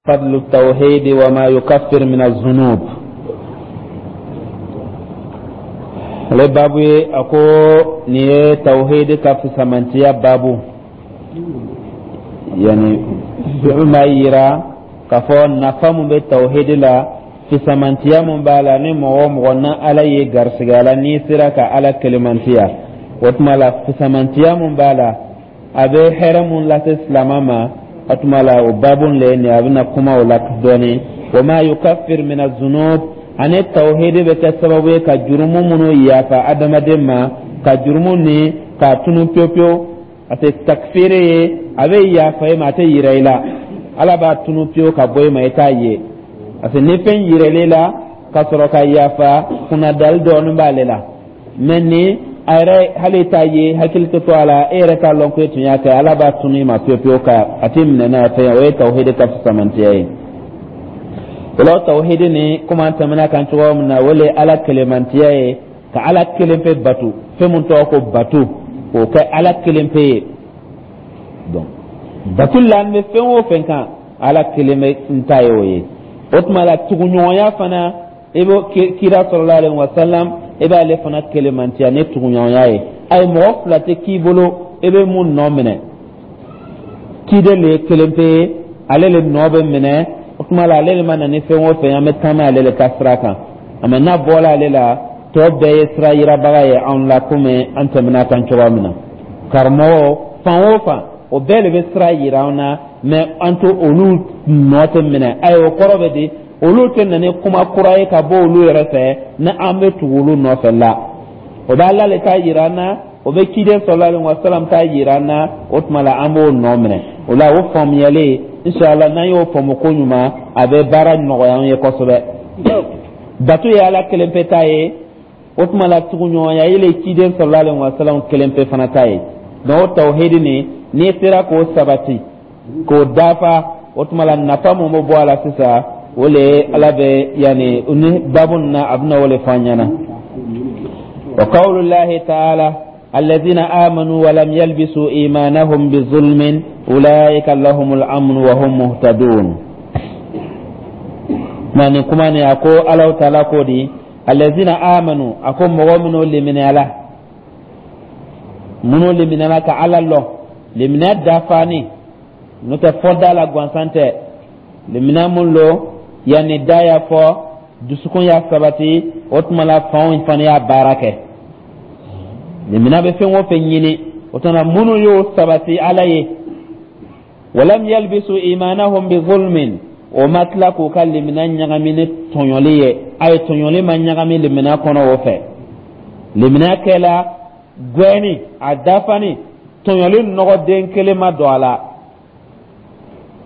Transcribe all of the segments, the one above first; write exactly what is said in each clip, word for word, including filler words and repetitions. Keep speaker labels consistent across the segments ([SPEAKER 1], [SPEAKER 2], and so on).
[SPEAKER 1] فضل التوحيد وما يكفر من الذنوب. Ale babu ye, a ko nin ye tawhidi ka fisamantiya babu, yani fɛn b'a yira k'a fɔ nafa mun bɛ tawhidi la, fisamantiya mun b'a la, ni mɔgɔ o mɔgɔ na Ala ye garisigɛ a la, n'i sera ka Ala kelemantiya, o tuma la fisamantiya mun b'a la, a bɛ hɛrɛ mun lase silama ma, o tuma la o babu le ye nin, a bɛna kuma o la dɔɔni. Wa ma yukaffir min azunub, ani tawhidi bɛ kɛ sababu ye ka jurumu minnu yafa adamaden ma, ka jurumu ni k'a tunu pewu pewu, parce que takfiri ye a bɛ yafa i ma, a tɛ yira i la, Ala b'a tunu pewu ka bɔ i ma, i t'a ye, parce que ni fɛn yiral'i la ka sɔrɔ ka yafa, kunnadali dɔɔnin b'ale la. Mɛ ni a yɛrɛ hali t'a ye, hakili tɛ to a la, e yɛrɛ t'a lɔn ko e tun y'a kɛ, Ala b'a tunu i ma pewu pewu ka a t'i minɛ n'a ye fɛn ye. O ye tawhidi ka fisamantiya ye. O la tawhidi ni, komi an tɛmɛna kan cogo min na, o le ye Ala kelemantiya ye, ka Ala kelen pe batu, fɛn mun tɔgɔ ko batu, k'o kɛ Ala kelen pe ye. Donc batu la, an bɛ fɛn o fɛn kan, Ala kelen bɛ n ta ye o ye. O tuma la tuguɲɔgɔnya fana, i b'o kira sallallahu alaihi wa sallam, i b'ale fana kelemantiya ni tuguɲɔgɔnya ye. Ayi, mɔgɔ fila tɛ k'i bolo i bɛ mun nɔ minɛ, ciden le ye kelen pe ye, ale le nɔ bɛ minɛ. O tuma la ale le ma na ni fɛn o fɛn ye, an bɛ taama ale le ka sira kan. Mɛ n'a bɔra ale la, tɔ bɛɛ ye sira yirabaga ye anw la, komi an tɛmɛna kan cogoya min na. Karamɔgɔ fan o fan, o bɛɛ de bɛ sira yira an na, mɛ an to olu nɔ tɛ minɛ. Ayi, o kɔrɔ bɛ di, olu tɛ na ni kuma kura ye ka bɔ olu yɛrɛ fɛ ni an bɛ tugu olu nɔfɛ la. O bɛ Ala le ta yira an na, o bɛ ciden sallallahu alaihi wa sallam ta yira an na, o tuma la an b'o nɔ minɛ. O la o faamuyalen, inshallah, n'an y'o faamu ko ɲuman, a bɛ baara nɔgɔya an ye kosɛbɛ. Bato ye Ala kelen pe ta ye, o tuma la tuguɲɔgɔnya ye le ciden sallallahu alaihi wa sallam kelen pe fana ta ye. Donc o tawhidi nin, n'i sera k'o sabati k'o dafa, o tuma la nafa mun bɛ bɔ a la sisan, o le ye Ala bɛ yanni ni babu nin na, a bɛna o le fɔ an ɲɛna. Wa qawlullahi ta'ala: الذين آمنوا ولم يلبسوا إيمانهم بظلم أولئك لهم الأمن وهم مهتدون. Mani kuma ni a ko Ala taala ko di: الذين آمنوا, a ko mɔgɔ minnu liminiyala, minnu liminiyala ka Ala lɔn, liminiya dafani n'o tɛ fɔ da la gansan tɛ, liminiya mun lo, yanni da y'a fɔ, dusukun y'a sabati, o tuma la fanw fana y'a baara kɛ. Limina bɛ fɛn o fɛn ɲini, o tuma minnu y'o sabati Ala ye, walam yalbisu imanahum bi zulmin, o ma tila k'u ka limina ɲagami ni tɔɲɔli ye. A ye tɔɲɔli ma ɲagami limina kɔnɔ o fɛ, limina kɛla gɛni a dafani, tɔɲɔli nɔgɔden kelen ma don a la.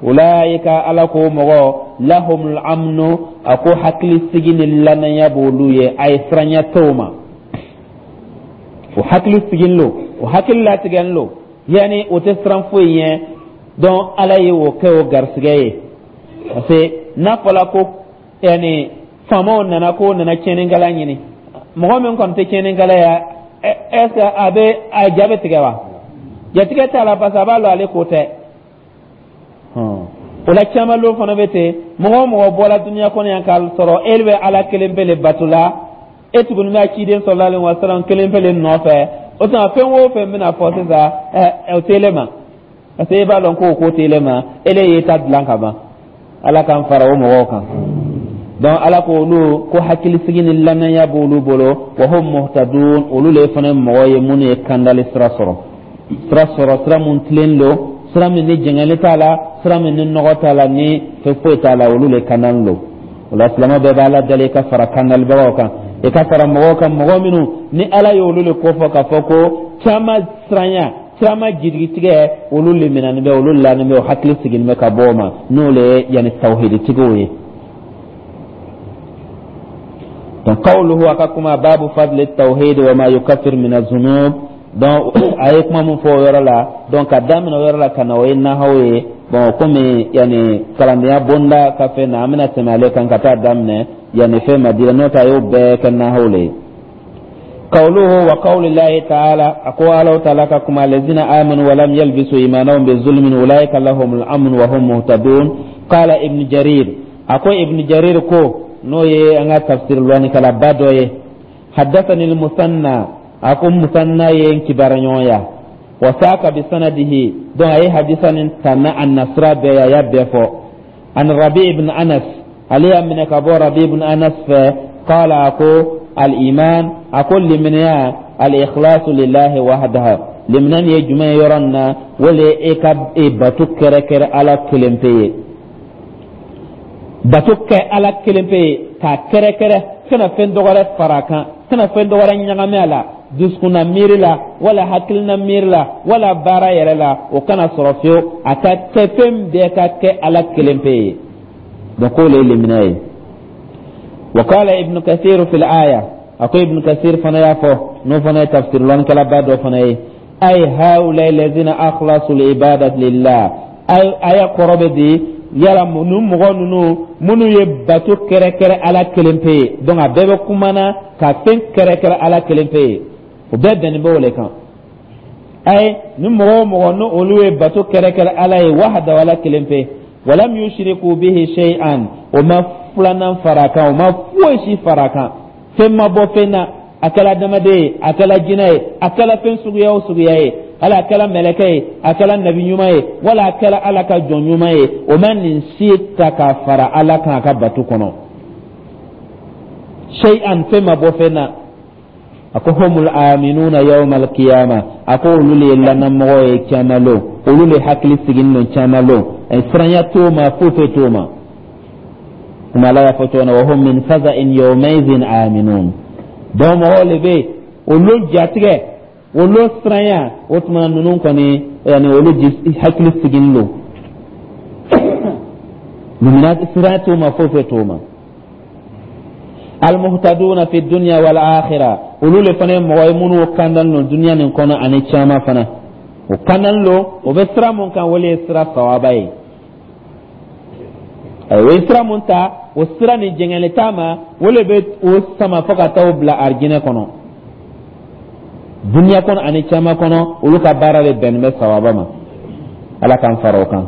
[SPEAKER 1] Ulaika, Ala ko mɔgɔ, lahumul amnu, a ko hakilisigi ni lanaya b'olu ye, a ye siranya t'o ma, o hakili sigilen lo, o hakili latigɛlen lo, yanni o tɛ siran foyi ɲɛ. Donc Ala ye o kɛ o garisɛgɛ ye, parce que n'a fɔra ko yanni faamaw nana k'o nana tiɲɛnikɛla ɲini, mɔgɔ min kɔni tɛ tiɲɛnikɛla ye, est ce que a bɛ a ja bɛ tigɛ wa? Jatigɛ t'a la, parce que a b'a lɔn ale ko tɛ. O la caman lo fana bɛ ten, mɔgɔ o mɔgɔ bɔra dunuya kɔnɔ yan k'a sɔrɔ e bɛ Ala kelen pe le bato la, e tuguni bɛ ciden sallallahu alaihi wa sallam kelen pe le nɔfɛ, o tuma fɛn o fɛn bɛna fɔ sisan, ɛ o tɛ ma, parce que e b'a dɔn k'o ko tɛ ma, e le y'i ta dilan ka ban. Ala k'an fara o mɔgɔw kan. Donc Ala ko olu ko hakilisigi ni lamɛnya b'olu bolo, wa hum muhtadun, olu le fana mɔgɔ ye minnu ye kandali sira sɔrɔ, sira sɔrɔ, sira mun tilen don, sira min ni jɛngɛli t'a la, sira min ni nɔgɔ t'a la, ni fɛn foyi t'a la, olu le kandali don. O la silamɛ bɛɛ b'Ala dali i ka fara kandalibagaw kan, i ka fara mɔgɔw kan, mɔgɔ minnu ni Ala ye olu le kofɔ k'a fɔ ko caman siranya, caman jigitigɛ, olu le minɛni bɛ, olu lanin bɛ, o hakili sigilen bɛ ka bɔ o ma, n'o le ye yanni tawhiditigiw ye. Donc qawluhu, a ka kuma babu fadli tawhid wa ma yukaffir min az-zunub. Donc a ye kuma mun fɔ o yɔrɔ la, donc ka daminɛ o yɔrɔ la ka na, o ye nahaw ye. Bon, komi yanni kalandenya bonda ka fɛn na, an bɛna tɛmɛ ale kan ka taa daminɛ yanni fɛn ma dira, n'o tɛ a y'o bɛɛ kɛ nahaw le ye. Qawluhu wa qawli llahi ta'ala, a ko Ala ta'ala ka kuma: allazina amanu wa lam yalbisu imanahum bizulmin ulaika lahumul amn wa hum muhtadun. Qala Ibn Jarir, a ko Ibn Jarir ko, n'o ye an ka tafsir lɔnnikalaba dɔ ye: haddathani al-Musanna, a ko Musanna ye n kibara ɲɔgɔnya, wa saka bi sanadihi, donc a ye hadisa nin ta na a nasira bɛɛ ye, a y'a bɛɛ fɔ. An Rabi ibn Anas, ale y'a minɛ ka bɔ Rabi ibn Anas fɛ, qala, a ko al-iman, a ko limaniya, al-ikhlasu lillahi wahdahu. Limaniya nin ye jumɛn ye yɔrɔ nin na? O le ye e ka e bato kɛrɛkɛrɛ Ala kelen pe ye, bato kɛ Ala kelen pe ye k'a kɛrɛkɛrɛ, kana fɛn dɔ wɛrɛ fara a kan, kana fɛn dɔ wɛrɛ ɲagami a la, dusukunna miiri la wala hakilina miiri la wala baara yɛrɛ la, o kana sɔrɔ fiyewu. A ka kɛ fɛn bɛɛ ka kɛ Ala kelen pe ye. Donc k'o le ye limaniya ye. Wa qala Ibn Kathir fil aya, a ko Ibn Kathir fana y'a fɔ, n'o fana ye tafsir lɔnnikɛlaba dɔ fana ye: ay haula allazina akhlasu al-ibadati lillah, ay aya kɔrɔ bɛ di yala ninnu mɔgɔ ninnu minnu ye bato kɛrɛkɛrɛ Ala kelen pe ye. Donc a bɛɛ bɛ kumana ka fɛn kɛrɛkɛrɛ Ala kelen pe ye, o bɛɛ bɛnnen bɛ o le kan. Ay ni mɔgɔ o mɔgɔ ni olu ye bato kɛrɛkɛrɛ Ala ye, wahda, Ala kelen pe, walam yushriku bihi shay'an, o ma filanan fara kan, o ma foyi si fara kan, fɛn ma bɔ fɛn na, a kɛla adamaden ye, a kɛla jinɛ ye, a kɛla fɛn suguya o suguya ye, hali a kɛla mɛlɛkɛ ye, a kɛla nabi ɲuman ye, wala a kɛla Ala ka jɔn ɲuman ye, o ma nin si ta k'a fara Ala kan a ka bato kɔnɔ. Shay'an, fɛn ma bɔ fɛn na. A ko humul aminuna yawma alqiyama, a ko olu le ye lanamɔgɔ ye kiyama lon, olu le hakili siginin don kiyama lon, siranya t'o ma, foyi foyi t'o ma. Kuma Ala y'a fɔ cogo min na: wa hum min faza'in yawmaizin aminun. Donc mɔgɔw le bɛ yen, olu jatigɛ, olu siranya, o tuma ninnu kɔni, yani olu hakili siginin don, lumina siranya t'o ma, foyi foyi t'o ma. Almuhtaduna fi dunya wal akhirah, olu le fana ye mɔgɔ ye minnu kandalen don duniya nin kɔnɔ ani caman fana. O kandalen don, o bɛ sira mun kan, o le ye sira sawaba ye. O ye sira mun ta, o sira nin jɛngɛli t'a ma, o le bɛ o sama fo ka taa o bila arijinɛ kɔnɔ, duniya kɔnɔ ani caman kɔnɔ. Olu ka baara de bɛnnen bɛ sawaba ma. Ala k'an fara o kan.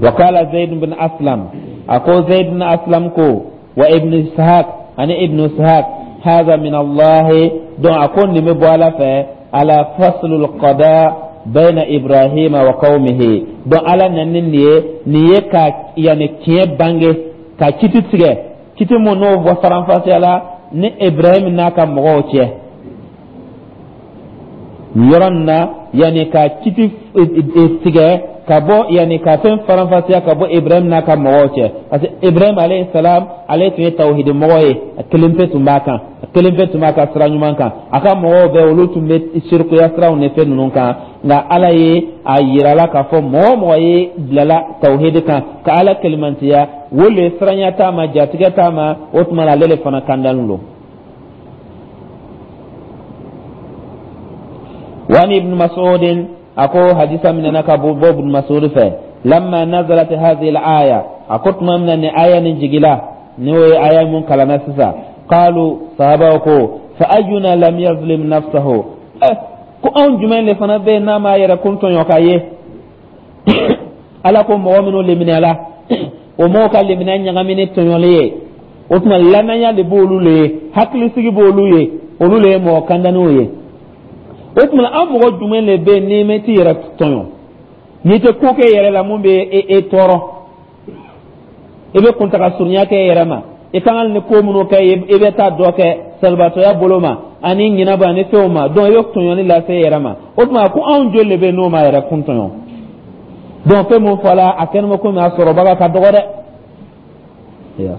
[SPEAKER 1] Wa qala Zayd bin Aslam, a ko Zayd bin Aslam ko, wa Ibn Ishaq, ani Ibn Ishaq: hadha min Allah, donc a ko nin bɛ bɔ Ala fɛ, ala faslul qada bayna Ibrahima wa qaumihi. Donc Ala nana ni nin ye, nin ye ka yani tiɲɛ bange, ka kiti tigɛ, kiti mun n'o bɔ faranfasiya la ni Ibrahim n'a ka mɔgɔw cɛ nin yɔrɔ nin na, yani ka kiti tigɛ ka bɔ, yani ka fɛn faranfasiya ka bɔ Ibrahim n'a ka mɔgɔw cɛ, parce que Ibrahim alayhi salam, ale tun ye tawhidi mɔgɔ ye, a kelen pe tun b'a kan, a kelen pe tun b'a ka sira ɲuman kan. A ka mɔgɔw bɛɛ, olu tun bɛ sirikuya siraw ni fɛn ninnu kan. Nka Ala ye a yira la k'a fɔ mɔgɔ o mɔgɔ ye bilala tawhidi kan ka Ala kelimantiya, o le siranya t'a ma, jatigɛ t'a ma. O tuma na ale le fana kandalen don. Wa Ibn Mas'ud, a ko hadisa minɛna ka bɔ Ibn Mas'ud fɛ: lamma nazalat hadhihi al-aya, a ko tuma min na ni aya nin jigila, n'o ye aya mun kalanna sisan, qalu, sahabaw ko: fa ayyuna lam yazlim nafsahu? Eh, ko anw jumɛn de fana bɛ yen n'a m'a yɛrɛ kun tɔɲɔ k'a ye Ala ko mɔgɔ minnu leminɛla, o mɔgɔw ka lemina ɲagami ni tɔɲɔli ye, o tuma lanaya de b'olu le ye, hakilisigi b'olu ye, olu le ye mɔgɔ kandaniw ye. O tuma an mɔgɔ jumɛn de bɛ yen n'i ma t'i yɛrɛ tɔɲɔ, n'i tɛ ko kɛ yɛrɛ la mun bɛ e e tɔɔrɔ, i bɛ kuntaga surunya kɛ e yɛrɛ ma, i kan ka ni ko minnu kɛ, i bɛ taa dɔ kɛ salibatɔya bolo ma ani ɲinaba ani fɛnw ma, donc i bɛ tɔɲɔli lase e yɛrɛ ma. O tuma ko anw joli de bɛ yen n'o ma yɛrɛ kun tɔɲɔ? Donc fɛn mun fɔla, a kɛnɛ ma komi a sɔrɔbaga ka dɔgɔ dɛ.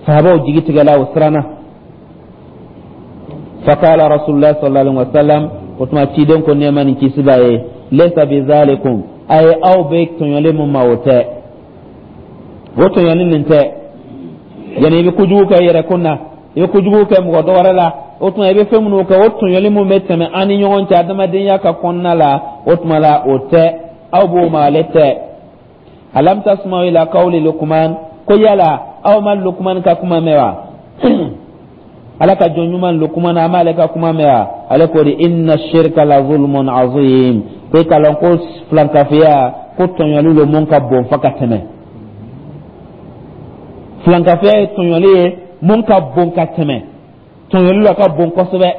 [SPEAKER 1] Sahabaw jigi tigɛla, o siranna. Faqala Rasulullah sallallahu alaihi wasallam, o tuma ciden ko, nɛɛma ni kisi b'a ye: laysa bizalikum, a ye aw bɛ tɔɲɔli mun ma, o tɛ, o tɔɲɔli nin tɛ. Yani i bɛ kojugu kɛ yɛrɛ kun na, i bɛ kojugu kɛ mɔgɔ dɔ wɛrɛ la, o tuma i bɛ fɛn minnu kɛ, o tɔɲɔli mun bɛ tɛmɛ an ni ɲɔgɔn cɛ adamadenya ka kɔnɔna la, o tuma la o tɛ, aw b'o ma, ale tɛ. Alam tasma'u ila qawli Luqman, ko yala aw ma Luqman ka kuma mɛn wa? Ala ka jɔn ɲuman Lukumana, an b'ale ka kuma mɛn wa? Ale ko de: inna shirka la zulmun azim. Ko i k'a lɔn ko filankafoya, ko tɔɲɔli lo mun ka bon fo ka tɛmɛ. Filankafoya ye tɔɲɔli ye mun ka bon ka tɛmɛ. Tɔɲɔli la ka bon kosɛbɛ,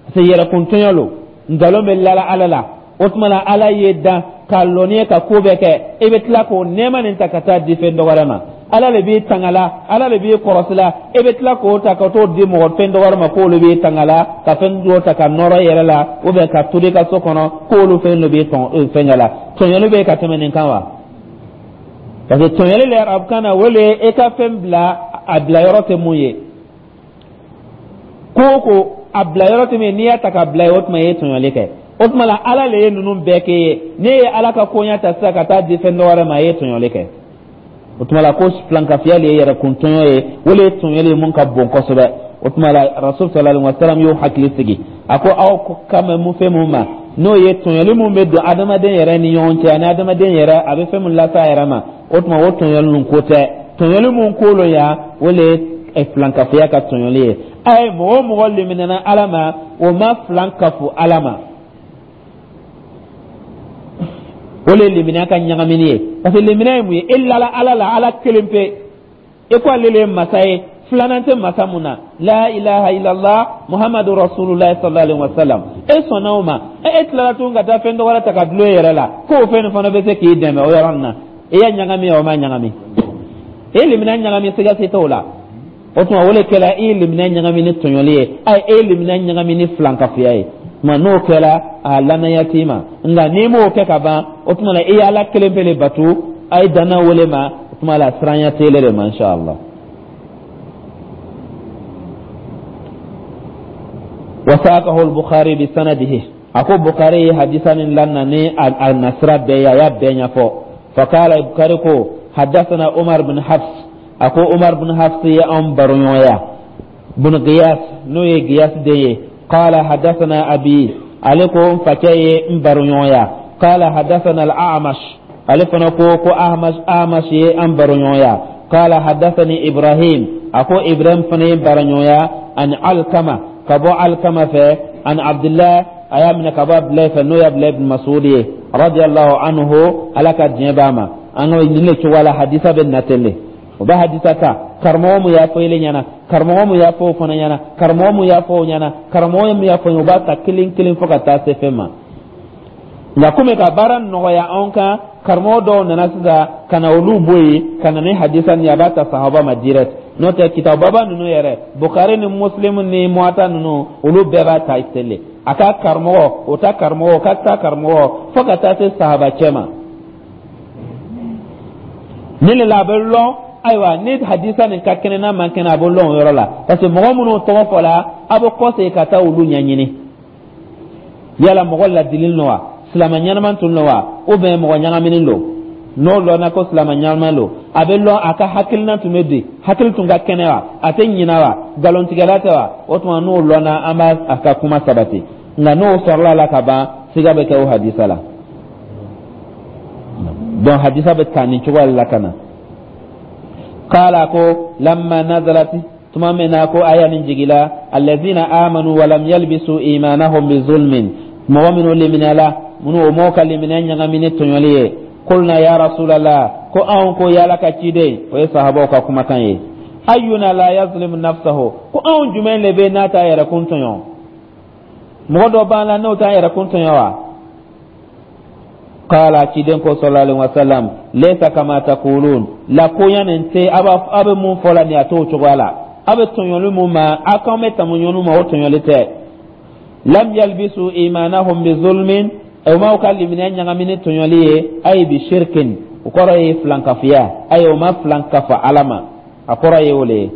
[SPEAKER 1] parce que yɛrɛkun tɔɲɔ lo, nkalon bɛ lala Ala la. O tuma la, Ala ye dan k'a lɔn ka ko bɛɛ kɛ, e bɛ tila k'o nɛɛma nin ta ka taa di fɛn dɔ wɛrɛ ma. Ala de b'i tanga la, Ala de b'i kɔrɔsi la, e bɛ tila k'o ta ka t'o di mɔgɔ fɛn dɔ wɛrɛ ma, k'olu b'i tanga la, ka fɛn dɔ ta ka nɔrɔ i yɛrɛ la, ou bien ka turu i ka so kɔnɔ, k'olu fɛn dɔ b'i tɔn fɛnkɛ la. Tɔɲɔli bɛ ka tɛmɛ nin kan wa? Parce que tɔɲɔli la, arabukan na, o le ye e ka fɛn bila a bila yɔrɔ tɛ mun ye. Ko o ko a bila yɔrɔ tɛ min ye, n'i y'a ta ka bila yen, o tuma i ye tɔɲɔli kɛ. O tuma la, Ala le ye ninnu bɛɛ kɛ ye. N'e ye Ala ka koɲɛ ta sisan ka taa di fɛn dɔ wɛrɛ ma, i ye tɔɲɔli kɛ. O tuma la, ko filankafiya le ye yɛrɛkun tɔɲɔ ye, o le ye tɔɲɔli ye mun ka bon kosɛbɛ. O tuma la, Rasul sallallahu alaihi wa sallam y'o hakili sigi. A ko aw kan bɛ mun fɛn mun ma, n'o ye tɔɲɔli mun bɛ don adamaden yɛrɛ ni ɲɔgɔn cɛ, ani adamaden yɛrɛ a bɛ fɛn mun lase a yɛrɛ ma, o tuma o tɔɲɔli ninnu ko tɛ. Tɔɲɔli mun ko lo yan, o le ye filankafoya ka tɔɲɔli ye. A ye mɔgɔ o mɔgɔ liminɛna Ala ma, o ma filan kafo Ala ma, o le ye limaniya ka ɲagamini ye. Parce que limaniya ye mun ye? E lala Ala la, Ala kelen pe, e ko ale le ye masa ye, filanan tɛ masa mun na, la ilaha illallah Muhammadu rasulullah sallallahu alaihi wa sallam, e sɔnna o ma. E e tilala tuguni ka taa fɛn dɔ wɛrɛ ta ka dulon e yɛrɛ la, k'o fɛn nin fana bɛ se k'i dɛmɛ o yɔrɔ nin na. E y'a ɲagami, o ma ɲagami, e ye limaniya ɲagami, siga si t'o la. O tuma, o de kɛra e ye limaniya ɲagami ni tɔɲɔli ye, ayi, e ye limaniya ɲagami ni filankafoya ye. Tuma n'o kɛra, a lanaya t'i ma. Nka n'i m'o kɛ ka ban, o tuma la, i ye Ala kelen pe le bato, a ye danna wele ma, o tuma la siranya t'ele de ma, inshallah. Wasaqahu al-Bukhari bi sanadihi. A ko Bukhari ye hadisa nin lanna ni a nasira bɛɛ ye, a y'a bɛɛ ɲɛfɔ. Fakala, Bukhari ko: haddathana Umar bin Hafs. A ko Umar bin Hafs ye anw baroɲɔgɔnya, bin Giyas, n'o ye Giyas den ye. Qala haddathana abi, ale ko n facɛ ye n baroɲɔgɔnya. Qala haddathana al-A'mash, ale fana ko ko Ahmash Ahmash ye an baroɲɔgɔnya. Qala haddathani Ibrahim, a ko Ibrahim fana ye n baroɲɔgɔnya, an Alkama, ka bɔ Alkama fɛ, an Abdullah, a y'a minɛ ka bɔ Abdulayi fɛ, n'o ye Abdulayi bin Mas'ud ye, radiyallahu anhu, Ala ka diɲɛ b'a ma. An ka nin le cogoya la hadisa bɛ na ten de. O bɛ hadisa ta, karamɔgɔ mun y'a fɔ ele ɲɛna, karamɔgɔ mun y'a fɔ o fana ɲɛna, karamɔgɔ mun y'a fɔ o ɲɛna, karamɔgɔ mun y'a fɔ o, b'a ta kelen kelen fo ka taa se fɛn ma. Nka komi ka baara nɔgɔya anw kan, karamɔgɔ dɔw nana sisan ka na olu bɔ yen ka na ni hadisa nin ye, a b'a ta sahaba ma direct. N'o tɛ, kitababa ninnu yɛrɛ, Bukari ni Muslim ni Muwata ninnu, olu bɛɛ b'a ta tele a ka karamɔgɔ, o ta karamɔgɔ, o ka ta karamɔgɔ, fo ka taa se sahaba cɛ ma. Nin de la a bɛ lɔn, ayiwa, ni hadisa nin ka kɛnɛ n'a man kɛnɛ, a bɛ lɔn o yɔrɔ la, parce que mɔgɔ minnu tɔgɔ fɔla, a bɛ kɔsegin ka taa olu ɲɛɲini, yala mɔgɔ ladililen don wa, silamɛ ɲɛnama tun don wa, ou bien mɔgɔ ɲagaminen don. N'o lɔnna ko silamɛ ɲɛnama don, a bɛ lɔn a ka hakilina tun bɛ di, hakili tun ka kɛnɛ wa, a tɛ ɲina wa, nkalontigɛla tɛ wa. O tuma n'o lɔnna, an b'a a ka kuma sabati. Nka n'o sɔrɔla la ka ban, siga bɛ kɛ o hadisa la. Donc hadisa bɛ ta nin cogoya la ka na. Kala ko lamma nazalat, tuma min na ko aya nin jigila, allazina amanu walam yalbisu imanahum bi zulmin, mɔgɔ minnu liminala, minnu o m'o ka limina ɲagami ni tɔɲɔli ye, kulna ya rasulallah, ko anw ko y'Ala ka ciden, o ye sahabaw ka kumakan ye, ayyuna la yazlimu nafsahu, ko anw jumɛn le bɛ n'a t'a yɛrɛ kun tɔɲɔ? Mɔgɔ dɔ b'an la n'o t'a yɛrɛ kun tɔɲɔ wa? Kala, ciden ko sallallahu alaihi wasallam, laysa kama taqulun, la koɲa nin tɛ a bɛ mun fɔ la nin, a t'o cogoya la. A bɛ tɔɲɔli mun ma, a k'an bɛ tɔɲɔli ma, o tɔɲɔli tɛ. Lam yalbisu imanahum bi zulmin, o m'aw ka limaniya ɲagami ni tɔɲɔli ye, ayi bi shirkin, o kɔrɔ ye filankafoya, ayi o ma filankafa Ala ma, a kɔrɔ ye o le ye.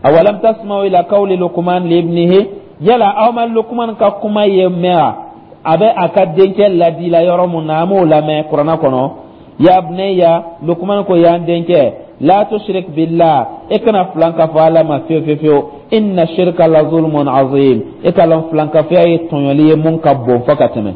[SPEAKER 1] Awalam tasma'u ila qawli Luqman li ibnihi, yala aw ma Luqman ka kuma ye mɛn wa, a bɛ a ka denkɛ ladila yɔrɔ mun na, an m'o lamɛn kuranna kɔnɔ? Ya bunayya, Luqman ko y'an denkɛ, la tushrik billah, e kana filankafo Ala ma fiyewu fiyewu fiyewu, inna shirka la zulmun azim, e ka lɔn filankafoya ye tɔɲɔli ye mun ka bon fo ka tɛmɛ.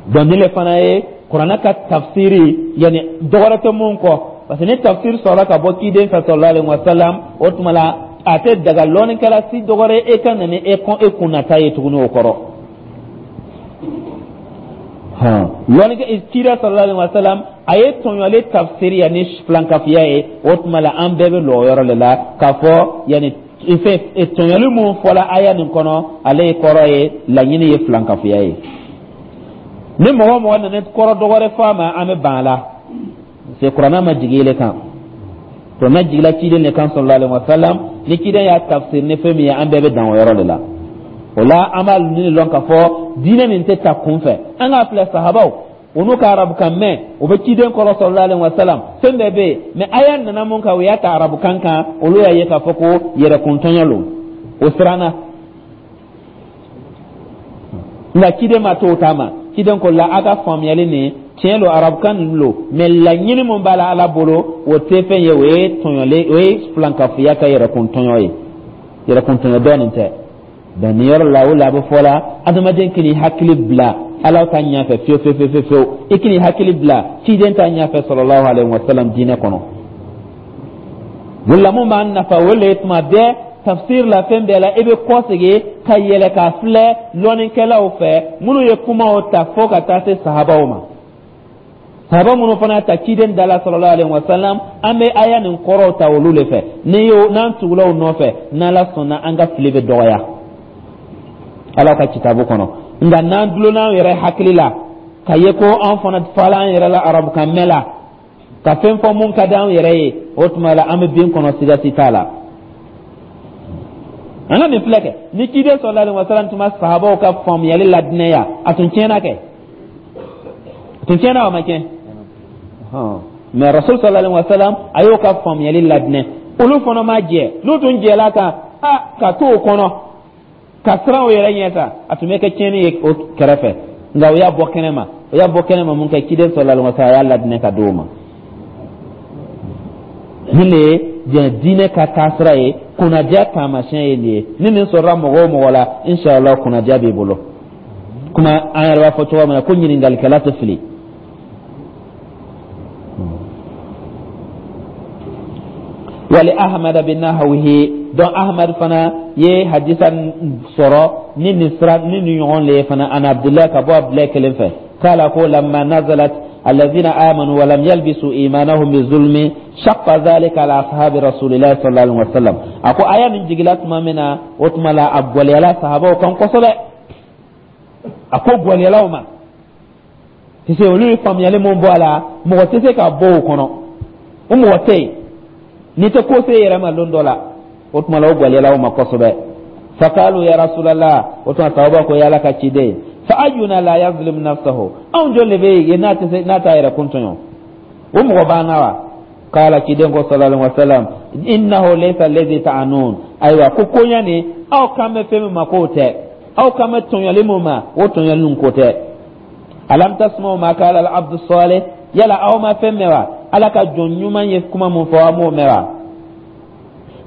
[SPEAKER 1] Donc nin le fana ye kuranɛ ka tafsiri, yani dɔwɛrɛ tɛ mun kɔ, parce que ni tafsiri sɔrɔla ka bɔ ciden fɛ sallallahu alaihi wa sallam, o tuma la A tɛ daga lɔnnikɛla si dɔgɔrɛ e ka na ni e kɔn e kunnata ye tuguni o kɔrɔ. Hɔn, lɔnnikɛ cira sallallahu alaihi wa sallam, a ye tɔɲɔli tafsiri ni filankafiya ye. O tuma la, an bɛɛ bɛ lɔ o yɔrɔ de la k'a fɔ yanni fɛn tɔɲɔli mun fɔla aya nin kɔnɔ, ale ye kɔrɔ ye, laɲini ye filankafiya ye. Ni mɔgɔ o mɔgɔ nana kɔrɔ dɔgɔrɛ fɔ a ma, an bɛ ban a la, parce que kuranɛ ma jigin ele kan, kuranɛ jigila ciden de kan sallallahu alaihi wa sallam. Ni ciden y'a tafsir ni fɛn min ye, an bɛɛ bɛ dan o yɔrɔ de la. O la, an b'a ɲini lɔn k'a fɔ diinɛ nin tɛ ta kun fɛ. An k'a filɛ, sahabaw, u n'u ka arabukan mɛn, u bɛ ciden kɔrɔ sallallahu alaihi wa sallam, fɛn bɛɛ bɛ yen, mais aya nana mun kan, u y'a ta arabukan kan, olu y'a ye k'a fɔ ko yɛrɛkuntɔɲɔ lo, o siranna. Nka ciden ma to o ta ma. Ciden ko la, a ka faamuyali nin tiɲɛ lo, arabukan nin lo, mais laɲini mun b'a la Ala bolo, o tɛ fɛn ye, o ye tɔɲɔlen, o ye filankafoya ka yɛrɛkuntɔɲɔ ye, yɛrɛkuntɔɲɔ dɔ nin tɛ. Donc nin yɔrɔ la, o la a bɛ fɔ la, adamaden k'i hakili bila Ala ta ɲɛfɛ fiyewu fiyewu fiyewu fiyewu, i k'i hakili bila ciden ta ɲɛfɛ sallallahu alaihi wa sallam diinɛ kɔnɔ. O la, mun b'an nafa, o le ye tuma bɛɛ tafsir la, fɛn bɛɛ la, i bɛ kɔsegin ka yɛlɛ k'a filɛ lɔnnikɛlaw fɛ minnu ye kumaw ta fo ka taa se sahabaw ma, sahaba minnu fana ta ciden da la sallallahu alaihi wa sallam. An bɛ aya nin kɔrɔw ta olu de fɛ. Ni y'o n'an tugula o nɔfɛ, n'Ala sɔnna, an ka fili bɛ dɔgɔya Ala ka kitabu kɔnɔ. Nka n'an dulonna an yɛrɛ hakili la ka ye ko an fana fala an yɛrɛ la arabukan mɛn la ka fɛn fɔ mun ka di an yɛrɛ ye, o tuma la an bɛ bin kɔnɔ, siga si t'a la. An ka nin filɛ kɛ, ni ciden sallallahu alaihi wa sallam tun ma sahabaw ka faamuyali ladinɛya, a tun tiɲɛna kɛ, a tun tiɲɛna, o ma tiɲɛ. Mais rasul sallallahu alaihi wa sallam, a y'o ka faamuyali ladinɛ, olu fana ma jɛ. N'u tun jɛla kan a ka to o kɔnɔ ka siran o yɛrɛ ɲɛ sa, a tun bɛ kɛ tiɲɛni ye o kɛrɛfɛ. Nka o y'a bɔ kɛnɛ ma, o y'a bɔ kɛnɛ ma mun kɛ, ciden sallallahu alaihi wa sallam a y'a ladinɛ ka d'o ma. Nin de ye diɲɛ diinɛ ka taasira ye, kunnadiya taamasiyɛn ye nin ye. Ni nin sɔrɔla mɔgɔ o mɔgɔ la, inshallah kunnadiya b'i bolo. Kuma an yɛrɛ b'a fɔ cogo min na ko ɲininkalikɛla tɛ fili. Wali Ahmad bin nahwihi. Donc Ahmad fana ye hadisa sɔrɔ ni nin sira ni nin ɲɔgɔn le ye fana, an Abdullah, ka bɔ Abdullah kelen fɛ, kala ko lamma nazalat alladhina amanu wa lam yalbisu imanahum bi zulmi shaqqa dhalika ala ashabi rasulillahi sallallahu alaihi wasallam. A ko aya nin jigila tuma min na, o tuma la a gwɛlɛyala sahabaw kan kosɛbɛ. A ko gwɛlɛyala u ma tɛ se, olu ye faamuyali mun bɔ a la, mɔgɔ tɛ se ka bɔ o kɔnɔ, o mɔgɔ tɛ yen n'i tɛ ko se yɛrɛ ma lon dɔ la. O tuma la, o gwɛlɛyala o ma kosɛbɛ. Faqalu ya rasulallah, o tuma sahaba ko, ya Ala ka ciden, fa ayyuna la yazlim nafsahu, anw jɔn de bɛ yen n'a tɛ se n'a t'a yɛrɛ kun tɔɲɔ, o mɔgɔ b'an na wa? Kala, ciden ko sallallahu alaihi wasallam, innahu laysa alladhi ta'anun. Ayiwa, ko koɲa nin, aw kan bɛ fɛn min ma, k'o tɛ, aw kan bɛ tɔɲɔli mun ma, o tɔɲɔli nin ko tɛ. Alam tasma'u ma qala al-abdu salih, yala aw ma fɛn mɛn wa? Ala ka jɔn ɲuman ye kuma mun fɔ, aw m'o mɛn wa?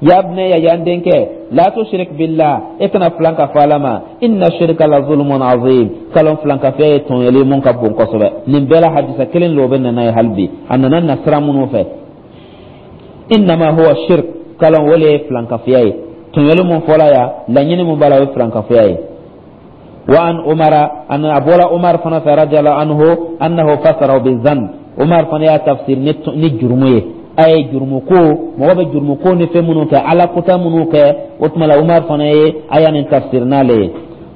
[SPEAKER 1] Ya bunayya, ya n denkɛ, la tushrik billah, e kana filan ka fɔ Ala ma, inna shirka la zulmun azim, kalon filan ka fɛ ye tɔɲɔli mun ka bon kosɛbɛ. Nin bɛɛ la, hadisa kelen lo bɛ nana ye hali bi, a nana nasira minnu fɛ. Innama huwa shirk, kalon o le ye filankafoya ye, tɔɲɔli mun fɔla ya, laɲini mun b'a la, o ye filankafoya ye. وعن عمر أن أبولا عمر فنا رضي الله عنه أنه فسره بالذنب. عمر فنا يا تفسير ni jurumu ye, a ye jurumu ko, mɔgɔ bɛ jurumu ko ni fɛn minnu kɛ, Ala kota minnu kɛ. O tuma la, Umar fana ye a y'a nin tafsir n'ale ye.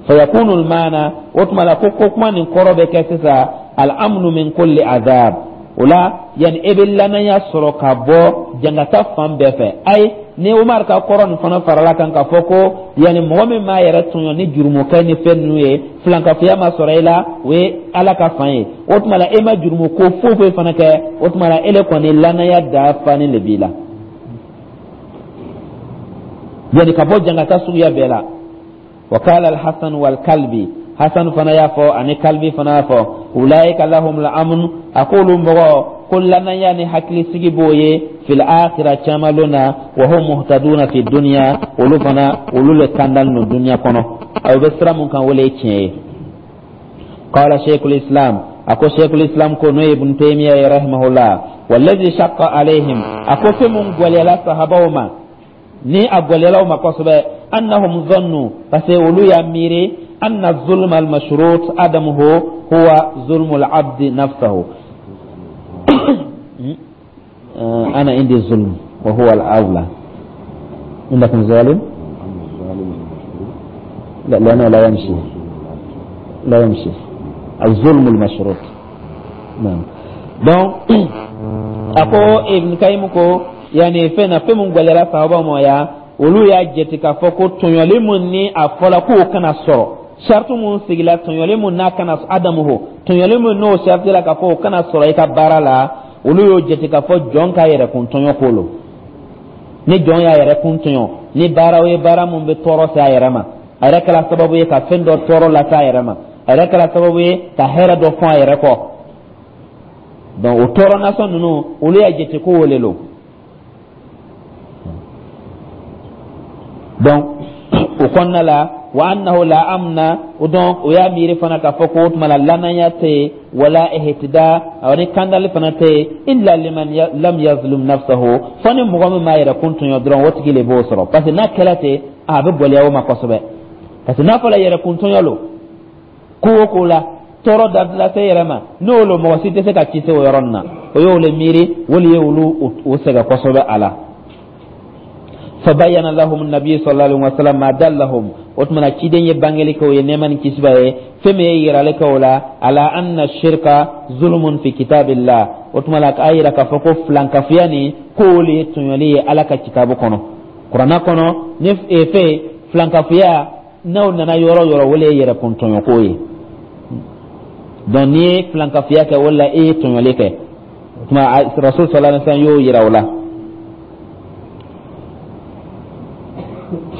[SPEAKER 1] Fayakunu almaana, o tuma la ko ko kuma nin kɔrɔ bɛ kɛ sisan al-amnu min kulli azab. O la, yani e bɛ lanaya sɔrɔ ka bɔ jangata fan bɛɛ fɛ. Ayi, ni Umar ka kɔrɔ nin fana farala kan k'a fɔ ko yani mɔgɔ min m'a yɛrɛ tɔɲɔ ni jurumukɛ ni fɛn ninnu ye, filankafoya ma sɔrɔ i la, o ye Ala ka fan ye. O tuma la, e ma jurumu ko foyi foyi fana kɛ, o tuma la e le kɔni lanaya dafanen de b'i la, yani ka bɔ jangata suguya bɛɛ la. Wa qala al-Hasan wal Kalbi, Hasan fana y'a fɔ ani Kalbi fana y'a fɔ, ulaika lahum al-amn, a k'olu mɔgɔ ko lanaya ni hakilisigi b'o ye fil akhira, caman na, wa hum muhtaduna fi dunya, olu fana olu le kandalen don dunya kɔnɔ, aw bɛ sira mun kan, o le ye tiɲɛ ye. Qala shaykhul islam, a ko shaykhul islam ko, n'o ye Ibn Taymiya ye rahimahullah, wallazi shaqqa alaihim, a ko fɛn mun gwɛlɛyala sahabaw ma. Ni a gwɛlɛyala u ma kosɛbɛ, annahum zannu, parce que olu y'a miiri, anna zulma almashrut adamuhu huwa zulmu alabdi nafsahu. أنا عندي الظلم وهو الأولى عندكم ظالم. لا، لأنه لا يمشي، لا يمشي الظلم المشروط. نعم. Donc a ko Ibn Kayyim ko yani fɛn na, fɛn mun gwɛlɛyara sahaba ma ya, olu y'a jate k'a fɔ ko tɔɲɔli mun ni a fɔla k'o kana sɔrɔ, sariti mun sigila tɔɲɔli mun n'a kana adamuhu, tɔɲɔli mun n'o sariti la k'a fɔ o kana sɔrɔ i ka baara la, olu y'o jate k'a fɔ jɔn k'a yɛrɛ kun tɔɲɔ ko lo. Ni jɔn y'a yɛrɛ kun tɔɲɔ ni baaraw ye, baara mun bɛ tɔɔrɔ se a yɛrɛ ma, a yɛrɛ kɛra sababu ye ka fɛn dɔ tɔɔrɔ lase a yɛrɛ ma, a yɛrɛ kɛra sababu ye ka hɛrɛ dɔ fɔ a yɛrɛ kɔ, donc o tɔɔrɔ nasɔn ninnu, olu y'a jate ko o le lo. Donc o kɔnɔna la, wa annahu la amna, donc o y'a miiri fana k'a fɔ ko o tuma la lanaya tɛ yen, wala ihtida, ni kandali fana tɛ yen, illa liman lam yazlum nafsahu, fo ni mɔgɔ min m'a yɛrɛ kun tɔɲɔ dɔrɔn, o tigi le b'o sɔrɔ. Parce que n'a kɛla ten, a bɛ gɛlɛya o ma kosɛbɛ, parce que n'a fɔra yɛrɛ kun tɔɲɔ lo, ko o ko la tɔɔrɔ da lase yɛrɛ ma, n'o lo, mɔgɔ si tɛ se ka ci se o yɔrɔ nin na. O y'o le miiri, o le ye olu o sɛgɛn kosɛbɛ a la. فبين لهم النبي صلى الله عليه وسلم ما دلهم, o tuma na ciden ye bangeli kɛ o ye, nɛɛma ni kisi b'a ye, fɛn min ye yirali kɛ o la, ala anna shirka zulmun fi kitabillah. O tuma la k'a yira k'a fɔ ko filankafoya nin, k'o le ye tɔɲɔli ye Ala ka kitabu kɔnɔ, kuranna kɔnɔ. Ni fɛn filankafoya n'aw nana yɔrɔ yɔrɔ, o le ye yɛrɛkun tɔɲɔko ye. Donc n'i ye filankafoya kɛ, o la e ye tɔɲɔli kɛ. O tuma Rasul sallallahu alaihi wasallam y'o yira o la.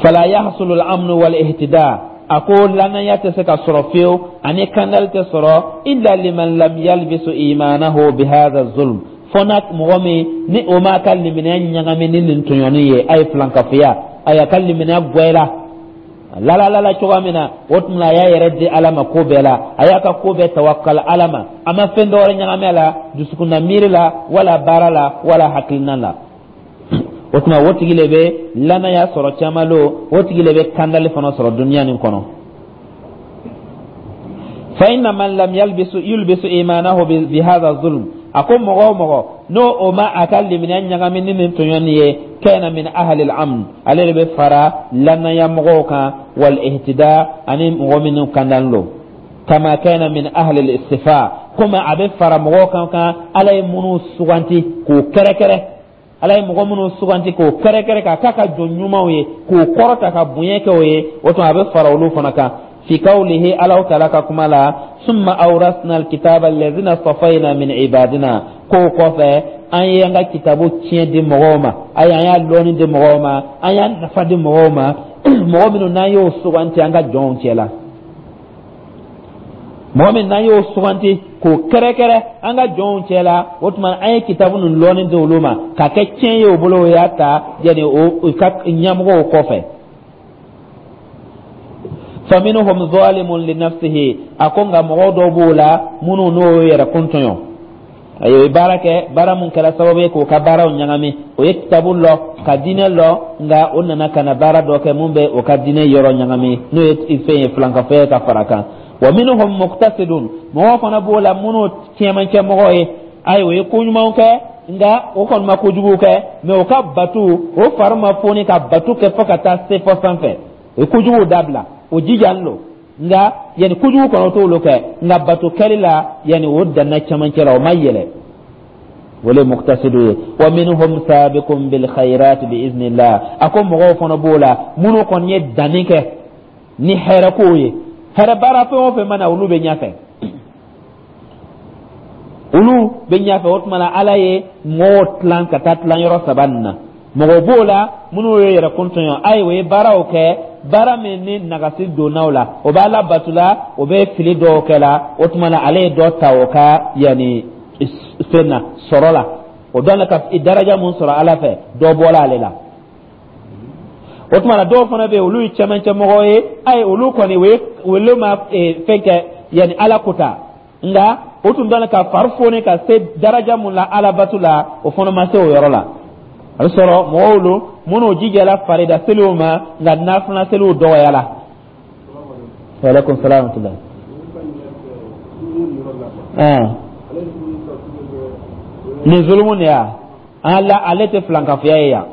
[SPEAKER 1] Fala yahsulu al-amnu wal ihtida, a ko lanaya tɛ se ka sɔrɔ fiyewu ani kandali tɛ sɔrɔ, illa liman lam yalbisu imanahu bihadha zulm, fo na mɔgɔ min ni o m'a ka limaniya ɲagami ni nin tɔɲɔni ye, a ye filankafoya, a y'a ka limaniya gwɛla lalalala cogoya min na. O tuma a y'a yɛrɛ di Ala ma ko bɛɛ la, a y'a ka ko bɛɛ tawakkal Ala ma, a ma fɛn dɔwɛrɛ ɲagami a la dusukunna miiri la, wala baara la, wala hakilina la. O tuma o tigi le bɛ lanaya sɔrɔ caman lo, o tigi le bɛ kandali fana sɔrɔ duniya nin kɔnɔ. Fa inna man lam yalbisu yulbisu imanahu bi hadha zulm, a ko mɔgɔ o mɔgɔ n'o o ma a ka limaniya ɲagami ni nin tɔɲɔni ye, kana min ahli al-amn, ale de bɛ fara lanaya mɔgɔw kan, wal ihtida, ani mɔgɔ minnu kandalen lo, kama kana min ahli al-istifa, komi a bɛ fara mɔgɔw kan kan Ala ye minnu suganti k'o kɛrɛkɛrɛ, Ala ye mɔgɔ minnu suganti k'o kɛrɛkɛrɛ k'a k'a ka jɔn ɲumanw ye, k'o kɔrɔta ka bonya kɛ o ye, o tuma a bɛ fara olu fana kan. Fi qawlihi, Alaw taala ka kuma la, summa awrasna alkitaba alladhina safayna min ibadina, k'o kɔfɛ an ye an ka kitabu tiɲɛ di mɔgɔw ma, ayi, an y'a lɔnni di mɔgɔw ma, an y'a nafa di mɔgɔw ma, mɔgɔ minnu n'an y'o suganti an ka jɔnw cɛ la, mɔgɔ min n'an y'o suganti k'o kɛrɛkɛrɛ an ka jɔnw cɛ la, o tuma an ye kitabu ninnu lɔnni di olu ma k'a kɛ tiɲɛ ye o bolo, o y'a ta yanni o ka ɲɛmɔgɔw kɔfɛ. Faminhum zalimun li nafsihi, a ko nka mɔgɔw dɔw b'o la minnu n'o yɛrɛ kun tɔɲɔ, a ye baara kɛ, baara mun kɛra sababu ye k'o ka baaraw ɲagami. O ye kitabu lɔ ka diinɛ lɔ, nka o nana ka na baara dɔ kɛ mun bɛ o ka diinɛ yɔrɔ ɲagami, n'o ye fɛn ye, filankafoya ka fara kan. Wa minhum muqtasidun, mɔgɔw fana b'o la minnu cɛmancɛ mɔgɔw ye, ayi, o ye ko ɲumanw kɛ, nka o kɔni ma kojugu kɛ, mɛ o ka batu, o fari ma foni ka batu kɛ fo ka taa se fɔ sanfɛ. O ye kojuguw dabila, o jijalen don, nka yanni kojugu kɔnɔ t'olu kɛ, nka bato kɛli la, yanni o danna cɛmancɛ la, o ma yɛlɛ, o le muqtasidu ye. Wa minhum sabiqun bil khairat bi iznillah, a ko mɔgɔw fana b'o la minnu kɔni ye danni kɛ ni hɛrɛ kow ye, hɛrɛ baara fɛn o fɛn mana, olu bɛ ɲɛfɛ, olu bɛ ɲɛfɛ. O tuma na Ala ye mɔgɔw tilan ka taa tilan yɔrɔ saba nin na. Mɔgɔw b'o la minnu ye yɛrɛ kun tɔɲɔ, ayi, o ye baaraw kɛ, baara min ni nagasi donna o la, o b'a la bato la, o bɛ fili dɔw kɛ la, o tuma na ale ye dɔ ta o ka yanni fɛn na sɔrɔ la, o dɔn ka daraja mun sɔrɔ Ala fɛ, dɔ bɔra ale la. O tuma na dɔw fana bɛ yen, olu ye cɛmancɛ mɔgɔw ye, ayi, olu kɔni o ye olu ma fɛn kɛ yanni Ala ko ta, nka o tun dɔn ka fari foni ka se daraja mun la Ala bato la, o fana ma se o yɔrɔ la. A bɛ sɔrɔ mɔgɔw lo minnu jijala farida seliw ma, nka nafila seliw dɔgɔyala. Waaleykum salaam wa rahmatulah. Ɛn, nin zulumu de ya ala, ale tɛ filankafoya ye yan.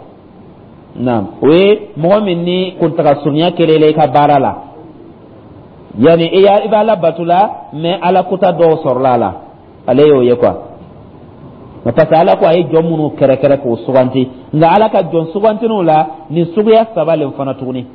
[SPEAKER 1] Naam, o ye mɔgɔ min ni kuntaga surunya kɛlen i ka baara la, yanni i y'a i b'a la bato la, mais ala kota dɔw sɔrɔla a la, ale y'o ye quoi. Parce que ala ko a ye jɔn minnu kɛrɛkɛrɛ k'o suganti, nka ala ka jɔn sugantiniw la, nin suguya saba le fana tuguni.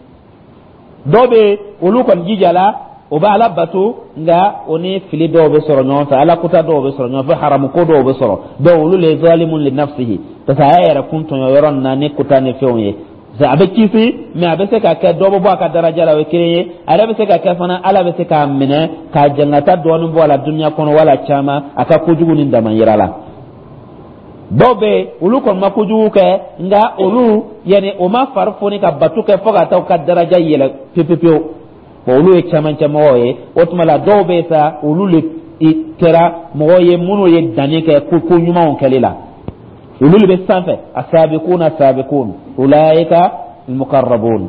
[SPEAKER 1] Dɔw bɛ yen, olu kɔni jijala, o bɛ ala bato, nka o ni fili dɔw bɛ sɔrɔ ɲɔgɔn fɛ, ala kota dɔw bɛ sɔrɔ ɲɔgɔn fɛ, haramu ko dɔw bɛ sɔrɔ. Donc olu le zalimun li nafsihi, parce que a y'a yɛrɛ kun tɔɲɔ yɔrɔ nin na ni kota ni fɛnw ye. A bɛ kisi, mais a bɛ se ka kɛ dɔ bɛ bɔ a ka daraja la, o ye kelen ye. A yɛrɛ bɛ se ka kɛ fana, ala bɛ se k'a minɛ k'a jangata dɔɔnin bɔ a la dunuya kɔnɔ wala caman, a ka kojugu ni dama yira la. Dɔw bɛ yen, olu kɔni ma kojugu kɛ, nka olu yanni o ma fari foni ka bato kɛ fo ka taa u ka daraja yɛlɛ pewu pewu. Bon, olu ye cɛmancɛ mɔgɔw ye. O tuma la, dɔw bɛ yen sa, olu le kɛra mɔgɔw ye minnu ye danni kɛ ko ko ɲumanw kɛli la, olu de bɛ sanfɛ. Asabiquna sabiqun ulaika almuqarrabun.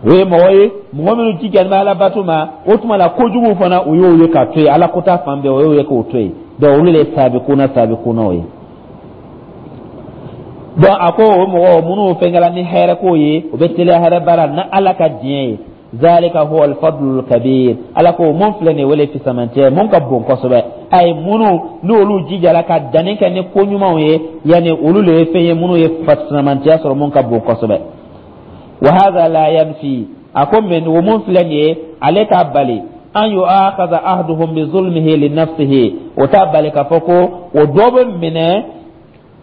[SPEAKER 1] O ye mɔgɔ ye, mɔgɔ minnu jijalen bɛ ala bato ma. O tuma la, kojugu fana, o y'o ye ka to yen, ala kota fan bɛɛ, o y'o ye k'o to yen. Donc olu de ye sabiquna sabiquna ye. Donc a ko o mɔgɔ minnu fɛnkɛla ni hɛrɛ ko ye, o bɛ teliya hɛrɛ baara na ala ka diɲɛ ye. Zalika huwa alfadlul kabir. Ala ko mun filɛ nin ye, wele fisamantiya mun ka bon kosɛbɛ. Ayi, minnu n'olu jijala ka danni kɛ ni ko ɲumanw ye, yanni olu le ye fɛn ye minnu ye fisamantiya sɔrɔ mun ka bon kosɛbɛ. Wa hadha la yanfi, a ko mɛ o mun filɛ nin ye, ale t'a bali an yu'akhadha ahaduhum bi zulmihi li nafsihi. O t'a bali k'a fɔ ko o dɔ bɛ minɛ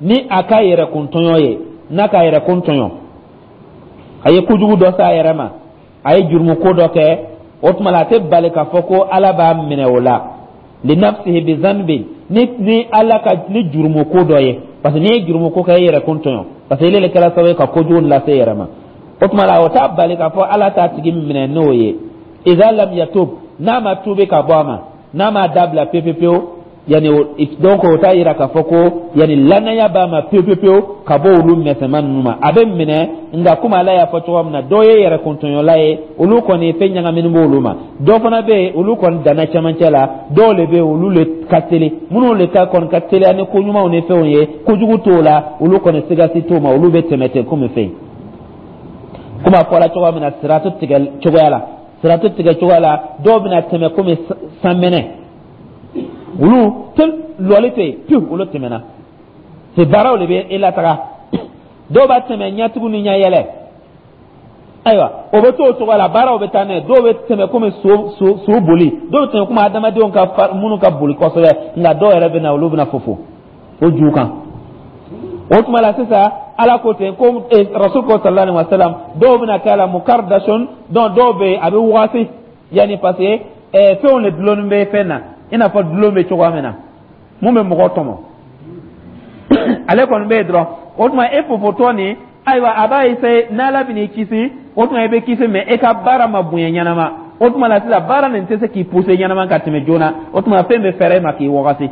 [SPEAKER 1] ni a ka yɛrɛkun tɔɲɔ ye. N'a ka yɛrɛkun tɔɲɔ, a ye kojugu dɔ s'a yɛrɛ ma, a ye jurumu ko dɔ kɛ, o tuma la, a tɛ bali k'a fɔ ko ala b'a minɛ o la. Li nafsihi bi zanbi, ni ni ala ka ni jurumu ko dɔ ye, parce que n'i ye jurumu ko kɛ, e yɛrɛ kun tɔɲɔ, parce que ile le kɛra sababu ye ka kojugu lase e yɛrɛ ma. O tuma la, o t'a bali k'a fɔ ala t'a tigi minɛ n'o ye. Idha lam yatub, n'a ma tuubi ka bɔ a ma, n'a m'a dabila pewu pewu, yanni donc o t'a yira k'a fɔ ko yanni lanaya b'a ma pewu pewu pewu ka bɔ olu mɛsɛma ninnu ma. A bɛ minɛ, nka komi ala y'a fɔ cogoya min na, dɔw ye yɛrɛ kuntɔɲɔla ye, olu kɔni fɛn ɲagaminen b'olu ma. Dɔw fana bɛ yen, olu kɔni danna cɛmancɛ la. Dɔw le bɛ yen, olu le ka teli, minnu le ka kɔni ka teliya ni ko ɲumanw ni fɛnw ye, kojugu t'o la, olu kɔni sigasi t'o ma, olu bɛ tɛmɛ ten komi fɛn. Komi a fɔra cogoya min na, siratu tigɛ cogoya la, siratu tigɛ cogoya la, dɔw bɛna tɛmɛ komi sanmɛnɛ, olu te lɔli tɛ yen pewu, olu tɛmɛna. C'est baaraw de bɛ e lataga. Dɔw b'a tɛmɛ ɲɛtugu ni ɲɛyɛlɛ, ayiwa, o bɛ to o cogoya la, baaraw bɛ taa n'a ye. Dɔw bɛ tɛmɛ komi so so so boli, dɔw bɛ tɛmɛ komi adamadenw ka minnu ka boli kosɛbɛ, nka dɔw yɛrɛ bɛ na, olu bɛna fofo o ju kan. O tuma la sisan, ala ko ten ko rasul ko sallallahu alaihi wa sallam, dɔw bɛna kɛ a la mukardashon. Donc dɔw bɛ yen, a bɛ wagati yanni, parce que ɛɛ fɛnw de dulonnen bɛ fɛn na, i n'a fɔ dulon bɛ cogoya min na, mun bɛ mɔgɔ tɔmɔ, ale kɔni bɛ yen dɔrɔn. O tuma e fofotɔ nin, ayiwa, a b'a essayer n'ala bɛ n'i kisi, o tuma i bɛ kisi, mais e ka baara ma bonya ɲɛnama. O tuma la sisan, baara nin tɛ se k'i pousser ɲɛnama ka tɛmɛ joona. O tuma fɛn bɛ fɛɛrɛ e ma k'i wagati,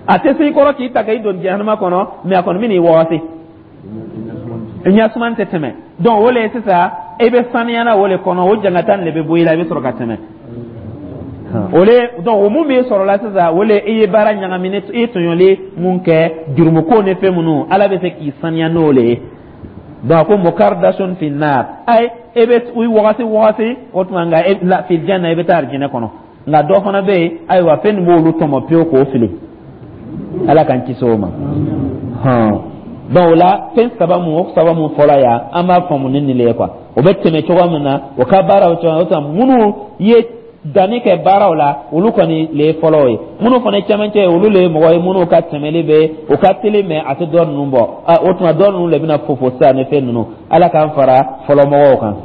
[SPEAKER 1] a tɛ se i kɔrɔ k'i ta k'i don jahanama kɔnɔ, mais a kɔni bɛ n'i wagati, ɲɛsuman tɛ tɛmɛ. Donc o le ye sisan, e bɛ saniya na o le kɔnɔ, o jangata nin de bɛ bɔ i la, i bɛ sɔrɔ ka tɛmɛ o le. Donc o mun b'i sɔrɔ la sisan, o le i ye baara ɲagami, i ye tɔɲɔli mun kɛ, jurumuko ni fɛn minnu, ala bɛ se k'i saniya n'o le ye. Donc a ko mukardashon fi nar, ayi, e bɛ wagati wagati, o tuma nka e la fil janna, i bɛ taa arijinɛ kɔnɔ. Nka dɔ fana bɛ yen, ayiwa, fɛn nin b'olu tɔmɔ pewu k'o fili, ala k'an kisi o ma. Hɔn, donc o la, fɛn saba mun, o saba mun fɔla yan, an b'a faamu ni nin le ye quoi. O bɛ tɛmɛ cogoya min na, o ka baaraw cogoya, o tuma minnu ye danni kɛ baaraw la, olu kɔni le ye fɔlɔ ye. Minnu fana ye cɛmancɛ ye, olu le ye mɔgɔ ye minnu ka tɛmɛli bɛ, o ka teli, mais a tɛ dɔ ninnu bɔ. O tuma dɔ ninnu de bɛna fofo sisan ni fɛn ninnu. Ala k'an fara fɔlɔ mɔgɔw kan.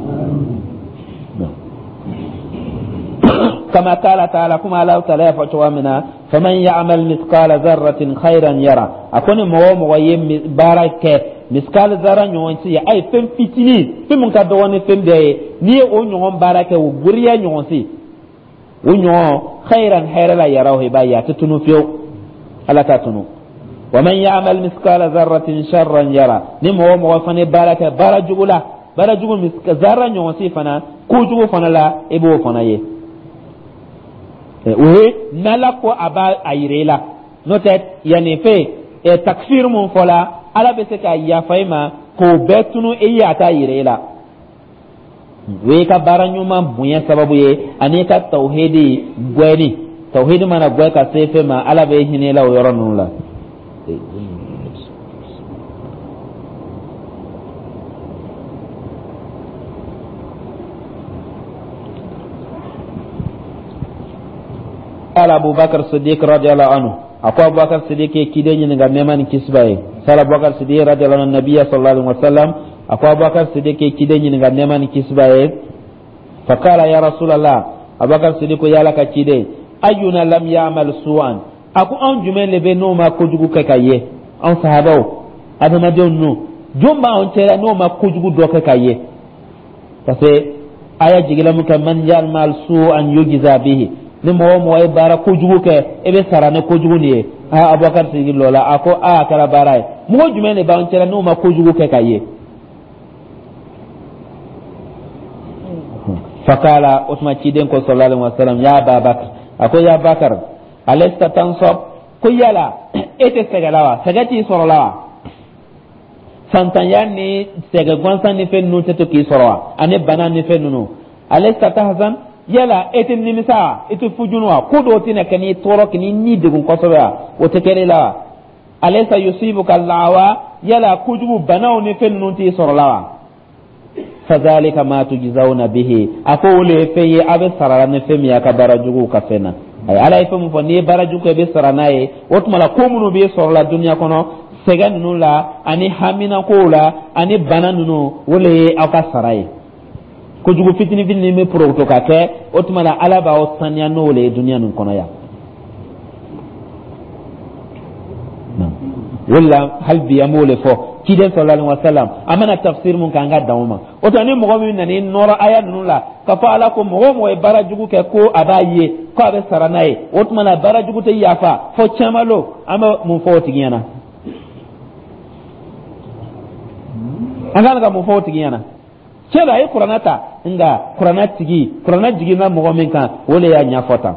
[SPEAKER 1] Kama kala taala, kuma ala taala y'a fɔ cogoya min na, faman ya'mal mithqala dharratin khairan yara. A ko ni mɔgɔ o mɔgɔ ye baara kɛ miskal zara ɲɔgɔn si ye, a ye fɛn fitinin, fɛn min ka dɔgɔ ni fɛn bɛɛ ye, n'i ye o ɲɔgɔn baara kɛ, o goriya ɲɔgɔn si, o ɲɔgɔn khairan, hɛrɛ la, yaraw, i b'a ye a tɛ tunu fiyewu, ala t'a tunu. Wa man ya'mal miskala zarratin sharran yara, ni mɔgɔ o mɔgɔ fana ye baara kɛ baara jugu la, baara jugu zarra ɲɔgɔn si fana, kojugu fana la, i b'o fana ye. O ye n'Ala ko a b'a a yira i la, n'o tɛ yanni fɛn takfir mun fɔla, Ala bɛ se ka yafa i ma k'o bɛɛ tunu i ye, a t'a yira i la. O y'i ka baara ɲuman bonya sababu ye, ani i ka tawhidi gwɛni. Tawhidi mana gwɛ ka se fɛn ma, Ala bɛ hinɛ i la o yɔrɔ ninnu la. قال أبو بكر الصديق رضي الله عنه، أكو أبو بكر الصديق كيدين ɲininka nɛɛma ni kisi b'a ye. سأل أبو بكر الصديق رضي الله عنه النبي صلى الله عليه وسلم، أكو أبو بكر الصديق كيدين ɲininka nɛɛma ni kisi b'a ye. فقال يا رسول الله، أبو بكر الصديق ya Ala ka ciden, أينا لم يعمل سوءا، a ko anw jumɛn de bɛ n'o ma kojugu kɛ ka ye? Anw sahabaw, adamadenw ninnu, jɔn b'anw cɛla n'o ma kojugu dɔ kɛ ka ye? Parce que aya jigila mun kɛ, man ya'mal su'an yujza bihi, ni mɔgɔ o mɔgɔ ye baara kojugu kɛ, e bɛ sara ni kojugu nin ye. Aa, Abubakar sigi lɔ la, a ko aa, a kɛra baara ye, mɔgɔ jumɛn de b'an cɛla n'o ma kojugu kɛ ka ye? Fakala, o tuma ciden ko sallallahu alaihi wasallam, ya Ababakar, a ko ya Bakar, alesta tansab, ko yala e tɛ sɛgɛ la wa? Sɛgɛ t'i sɔrɔ la wa? Fantanya ni sɛgɛ gansan ni fɛn ninnu tɛ to k'i sɔrɔ wa? Ani bana ni fɛn ninnu. Alesta tahzan, yala e tɛ nimisa wa? E tɛ fujunu wa? Ko dɔw tɛna kɛ n'i tɔɔrɔ, k'i ni degun kosɛbɛ wa? O tɛ kɛ ne la wa? Alaysa yusibuka lawa, yala kojugu banaw ni fɛn ninnu t'i sɔrɔ la wa? Fadhalika ma tujzawna bihi, a ko o le ye fɛn ye a bɛ sara ni fɛn min ye a ka baara juguw ka fɛn na. Ayi, Ala ye fɛn min fɔ, n'i ye baara jugu kɛ, i bɛ sara n'a ye. O tuma la, ko minnu b'i sɔrɔ la dunuya kɔnɔ, sɛgɛn ninnu la ani haminakow la ani bana ninnu, o le ye aw ka sara ye. Kojugu fitinin fitinin bɛ porokoto ka kɛ, o tuma la Ala b'aw saniya n'o le ye dunuya nin kɔnɔ yan. O de la hali bi an b'o de fɔ, ciden sallallahu alaihi wasallam, an mana tafsir mun kɛ, an ka dan o ma. O tuma ni mɔgɔ min nana i nɔrɔ aya ninnu la k'a fɔ Ala ko mɔgɔ o mɔgɔ ye baara jugu kɛ ko a b'a ye ko a bɛ sara n'a ye, o tuma la baara jugu tɛ yafa fo caman lo, an bɛ mun fɔ o tigi ɲɛna? An kan ka mun fɔ o tigi ɲɛna? Tiɲɛ don, a ye kuranɛ ta, nka kuranɛ tigi, kuranɛ jiginna mɔgɔ min kan, o de y'a ɲɛfɔ tan.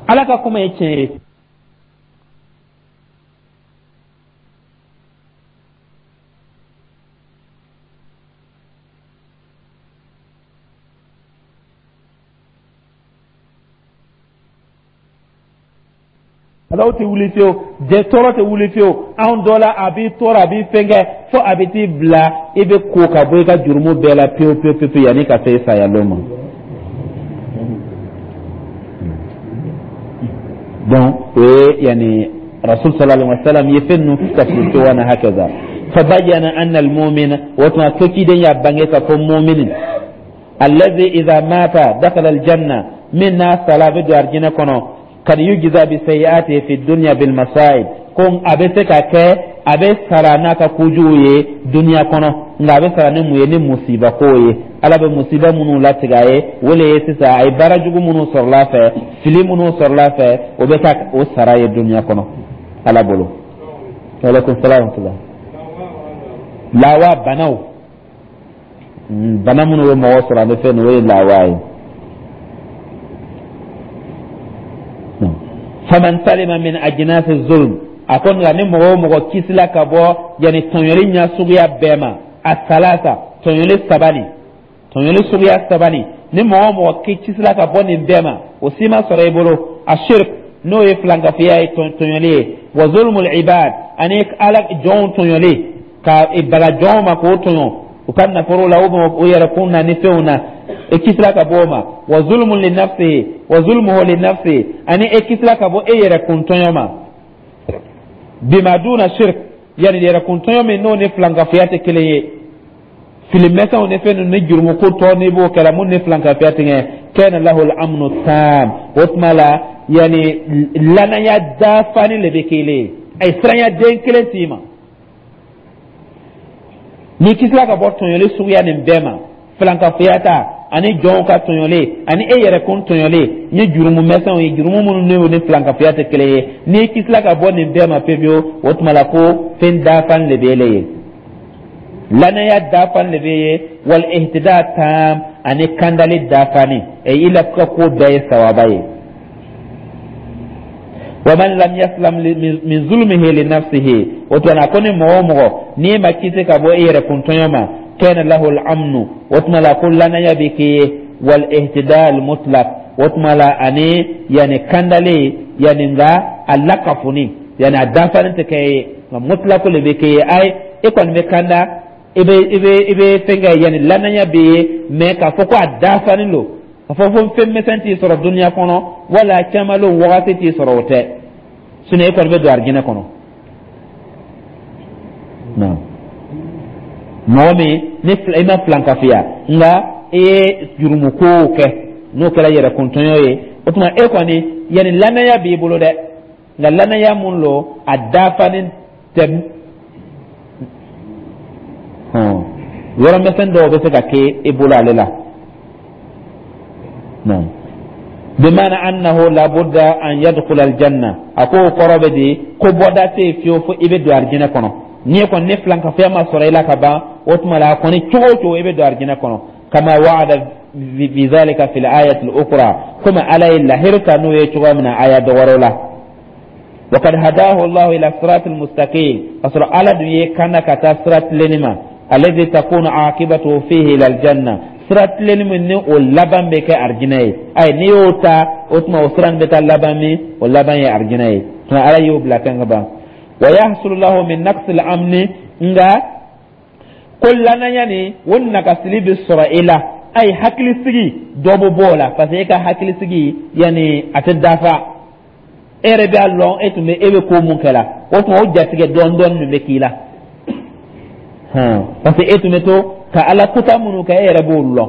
[SPEAKER 1] Ala ka kuma ye tiɲɛ ye. Alaw tɛ wuli fiyewu, jɛ tɔɔrɔ tɛ wuli fiyewu. Anw dɔ la, a b'i tɔɔrɔ, a b'i fɛnkɛ, fo a bɛ t'i bila i bɛ ko ka bɔ i ka jurumu bɛɛ la pewu pewu pewu yanni ka se saya don ma. Donc o ye yanni Rasul sallallahu alaihi wasallam ye fɛn ninnu tafsir cogo na hakaza. Fabayyana anna al-mu'mina, o tuma ko ciden y'a bange ka fɔ mu'minin allazi idha mata dakhala al-janna, min n'a sala bɛ don arijinɛ kɔnɔ, kad yujza bi sayyi'ati fi dunya bil masa'ib, ko a bɛ se ka kɛ a bɛ sara n'a ka kojugu ye dunuya kɔnɔ, nka a bɛ sara ni mun ye? Ni musiba ko ye. Ala bɛ musiba minnu latigɛ a ye, o le ye sisan a ye baara jugu minnu sɔrɔla a fɛ, fili minnu sɔrɔla a fɛ, o bɛ taa o sara ye dunuya kɔnɔ Ala bolo. Aleykum salaam wa rahmatulah. Lawa banaw, bana minnu bɛ mɔgɔ sɔrɔ a bɛ fɛn o ye lawa ye. Faman salima min ajnasi zulm, a ko nka ni mɔgɔ o mɔgɔ kisila ka bɔ yanni tɔɲɔli ɲɛ suguya bɛɛ ma, a salasa, tɔɲɔli saba nin, tɔɲɔli suguya saba nin, ni mɔgɔ o mɔgɔ kisila ka bɔ nin bɛɛ ma, o si ma sɔrɔ i bolo, a shirk, n'o ye filankafoya ye, tɔɲɔli ye, wa zulmul ibad, ani Ala jɔnw tɔɲɔli, ka baga jɔnw ma k'o tɔɲɔ u ka nafolo la, u yɛrɛ kun na ni fɛnw na, e kisila ka bɔ o ma, wa zulmun li nafsihi wa zulmuhu li nafsihi, ani e kisila ka bɔ e yɛrɛ kun tɔɲɔ ma, bima duna shirk, yani yɛrɛ kun tɔɲɔ min n'o ni filankafoya tɛ kelen ye, filimɛsɛnw ni fɛn ninnu ni jurumu ko tɔ n'i b'o kɛra mun ni filankafoya tɛ kɛ, kana lahu al-amnu tam, o tuma la yani lanaya dafani le bɛ kelen ye, a ye siranya den kelen t'i ma. N'i kisila ka bɔ tɔɲɔli suguya nin bɛɛ ma, filankafoya ta, Ani jɔnw ka tɔɲɔlen ani e yɛrɛ kun tɔɲɔlen ni jurumu mɛsɛnw ye, jurumu minnu n'o ni filankafoya tɛ kelen ye, n'i kisila ka bɔ nin bɛɛ ma pewu, o tuma la ko fɛn dafan de b'e ye, lanaya dafan de b'e ye, wal ihtida tam, ani kandali dafani e i la ka ko bɛɛ ye sawaba ye. Wa man lam yaslam min zulmihi li nafsihi, o tuma na ko ni mɔgɔ o mɔgɔ n'i ma kisi ka bɔ i yɛrɛ kun tɔɲɔ ma, kana lahu al-amnu, o tuma la ko lanaya bɛ k'i ye, wal ihtida al mutlaq, o tuma la ani yani kandali, yani nka a lakafoni, yani a dafalen tɛ kɛ ye, nka mutlaq le bɛ k'i ye. Ayi, e kɔni bɛ kanda, i bɛ i bɛ i bɛ fɛn kɛ, yani lanaya bɛ ye, mais k'a fɔ ko a dafalen don, k'a fɔ ko fɛn misɛn t'i sɔrɔ duniya kɔnɔ wala caman wagati t'i sɔrɔ, o tɛ. Sinon e kɔni bɛ don arijinɛ kɔnɔ. Naam, mɔgɔ min ni i ma filankafiya, nka i ye jurumukow kɛ, n'o kɛra yɛrɛkuntɔɲɔ ye, o tuma e kɔni yanni lanaya b'i bolo dɛ, nka lanaya mun lo, a dafalen tɛ. Yɔrɔ misɛn dɔw bɛ se ka kɛ e bolo ale la. Naam, bimana annahu labudda an yadkhula aljanna, a ko kɔrɔ bɛ di ko bɔda tɛ yen fiyewu fo i bɛ don arijinɛ kɔnɔ. N'i ye kɔni ni filankafoya ma sɔrɔ i la ka ban, o tuma la a kɔni cogo o cogo i bɛ don arijinɛ kɔnɔ. Kama wa'ada bizalika fil ayati al-ukhra, komi Ala ye lahiru ta n'o ye cogoya min na aya dɔ wɛrɛw la. Wa kad hadahu Allah ila sirat al-mustaqim, ka sɔrɔ Ala dun ye kanda ka taa sira tilenni ma, alladhi takunu aqibatuhu fihi ila al-janna, sira tilenni min ni o laban bɛ kɛ arijinɛ ye. Ayi, n'i y'o ta, o tuma o sira nin bɛ taa laban min, o laban ye arijinɛ ye. Tuma Ala y'o bila kan ka ban. Wa yahsulu lahu min naqsi al-amni, nka ko lanaya ni o nagasili bɛ sɔrɔ e la. Ayi, hakilisigi dɔ bɛ bɔ o la, parce que e ka hakilisigi yanni a tɛ dafa. E yɛrɛ b'a lɔn e tun bɛ e bɛ ko mun kɛ la, o tuma o jatigɛ dɔɔni dɔɔni min bɛ k'i la, parce que e tun bɛ to ka Ala kuta minnu kɛ, e yɛrɛ b'olu lɔn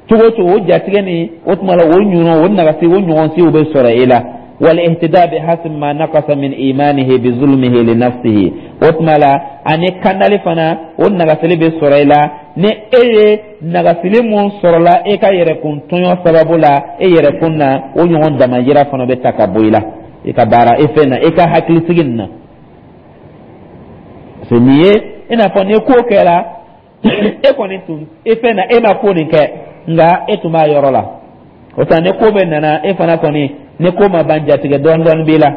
[SPEAKER 1] cogo o cogo. O jatigɛ ni o tuma la o ɲɔgɔn o nagasi o ɲɔgɔnsiw bɛ sɔrɔ e la. Wal ihtida bi hasbi ma naqasa min imanihi bi zulmihi li nafsihi, o tuma la ani kandali fana o nagasili bɛ sɔrɔ i la, ni e ye nagasili mun sɔrɔla e ka yɛrɛkun tɔɲɔ sababu la e yɛrɛkun na, o ɲɔgɔn damayira fana bɛ ta ka bɔ i la, i ka baara e fɛn na, i ka hakilisigi nin na. Parce que nin ye i n'a fɔ ni ko kɛra e kɔni tun e fɛn na, e ma ko nin kɛ, nka e tun b'a yɔrɔ la. O tuma ni ko bɛ nana e fana kɔni, ni ko ma ban, jatigɛ dɔɔni dɔɔni b'i la.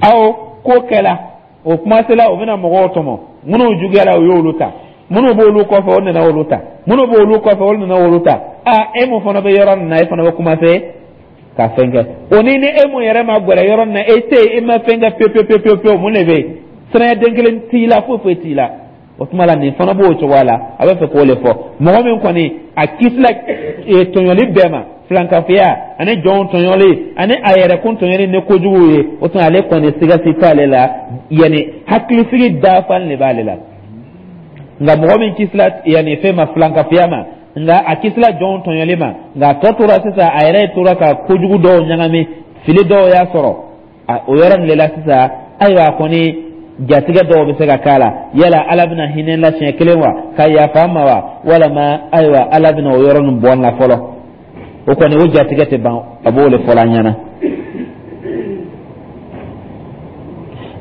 [SPEAKER 1] Aw ko kɛla o kumasela, o bɛna mɔgɔw tɔmɔ. Minnu juguyala, o y'olu ta. Minnu b'olu kɔfɛ, o nana olu ta. Minnu b'olu kɔfɛ, olu nana olu ta. Aa, e mun fana bɛ yɔrɔ nin na, e fana bɛ kumase ka fɛn kɛ. O ni ni e mun yɛrɛ ma gɛrɛ yɔrɔ nin na, e tɛ yen, e ma fɛn kɛ pewu pewu pewu pewu, mun de bɛ yen? Siranya den kelen t'i la, foyi foyi t'i la. O tuma la nin fana b'o cogoya la. A bɛ fɛ k'o de fɔ: mɔgɔ min kɔni a kisila tɔɲɔli bɛɛ ma, filankafoya ani jɔnw tɔɲɔli ani a yɛrɛkun tɔɲɔli ni kojugu ye, o tuma ale kɔni siga si t'ale la, yanni hakilisigi dafalen de b'ale la. Nka mɔgɔ min kisila yanni fɛn ma, filankafoya ma, nka a kisila jɔnw tɔɲɔli ma, nka a tɔ tora sisan a yɛrɛ tora ka kojugu dɔw ɲagami, fili dɔw y'a sɔrɔ o yɔrɔ nin de la sisan. Ayiwa, a kɔni jatigɛ dɔw bɛ se ka k'a la. Yala Ala bɛna hinɛ la siɲɛ kelen wa, ka yafa a ma wa, walama ayiwa Ala bɛna o yɔrɔ nin bɔ n la fɔlɔ? O kɔni o jatigɛ tɛ ban, a b'o de fɔla an ɲɛna.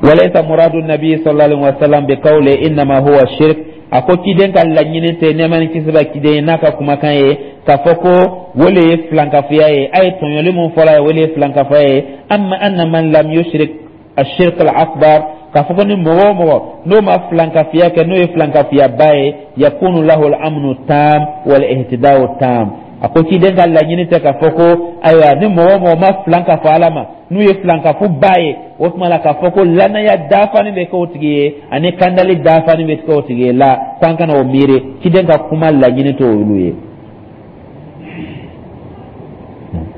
[SPEAKER 1] Walaysa muradu nabi sallallahu alaihi wasallam bi qawli innama huwa shirk, a ko ciden ka laɲini tɛ, nɛɛma ni kisi bɛ ciden ye, n'a ka kumakan ye k'a fɔ ko o le ye filankafoya ye. A ye tɔɲɔli mun fɔla ye, o le ye filankafoya ye. Amma anna man lam yushrik ashirk al-akbar, k'a fɔ ko ni mɔgɔ o mɔgɔ n'o ma filankafiya kɛ, n'o ye filankafiyaba ye, yakunu lahu al-amnu tam wal ihtida'u tam. A ko ciden ka laɲini tɛ k'a fɔ ko ayiwa ni mɔgɔ o mɔgɔ ma filan ka fɔ Ala ma, n'u ye filankafo ba ye, o tuma la k'a fɔ ko lanaya dafani bɛ kɛ o tigi ye ani kandali dafani bɛ kɛ o tigi ye la, k'an kana o miiri. Ciden ka kuma laɲini t'o olu ye,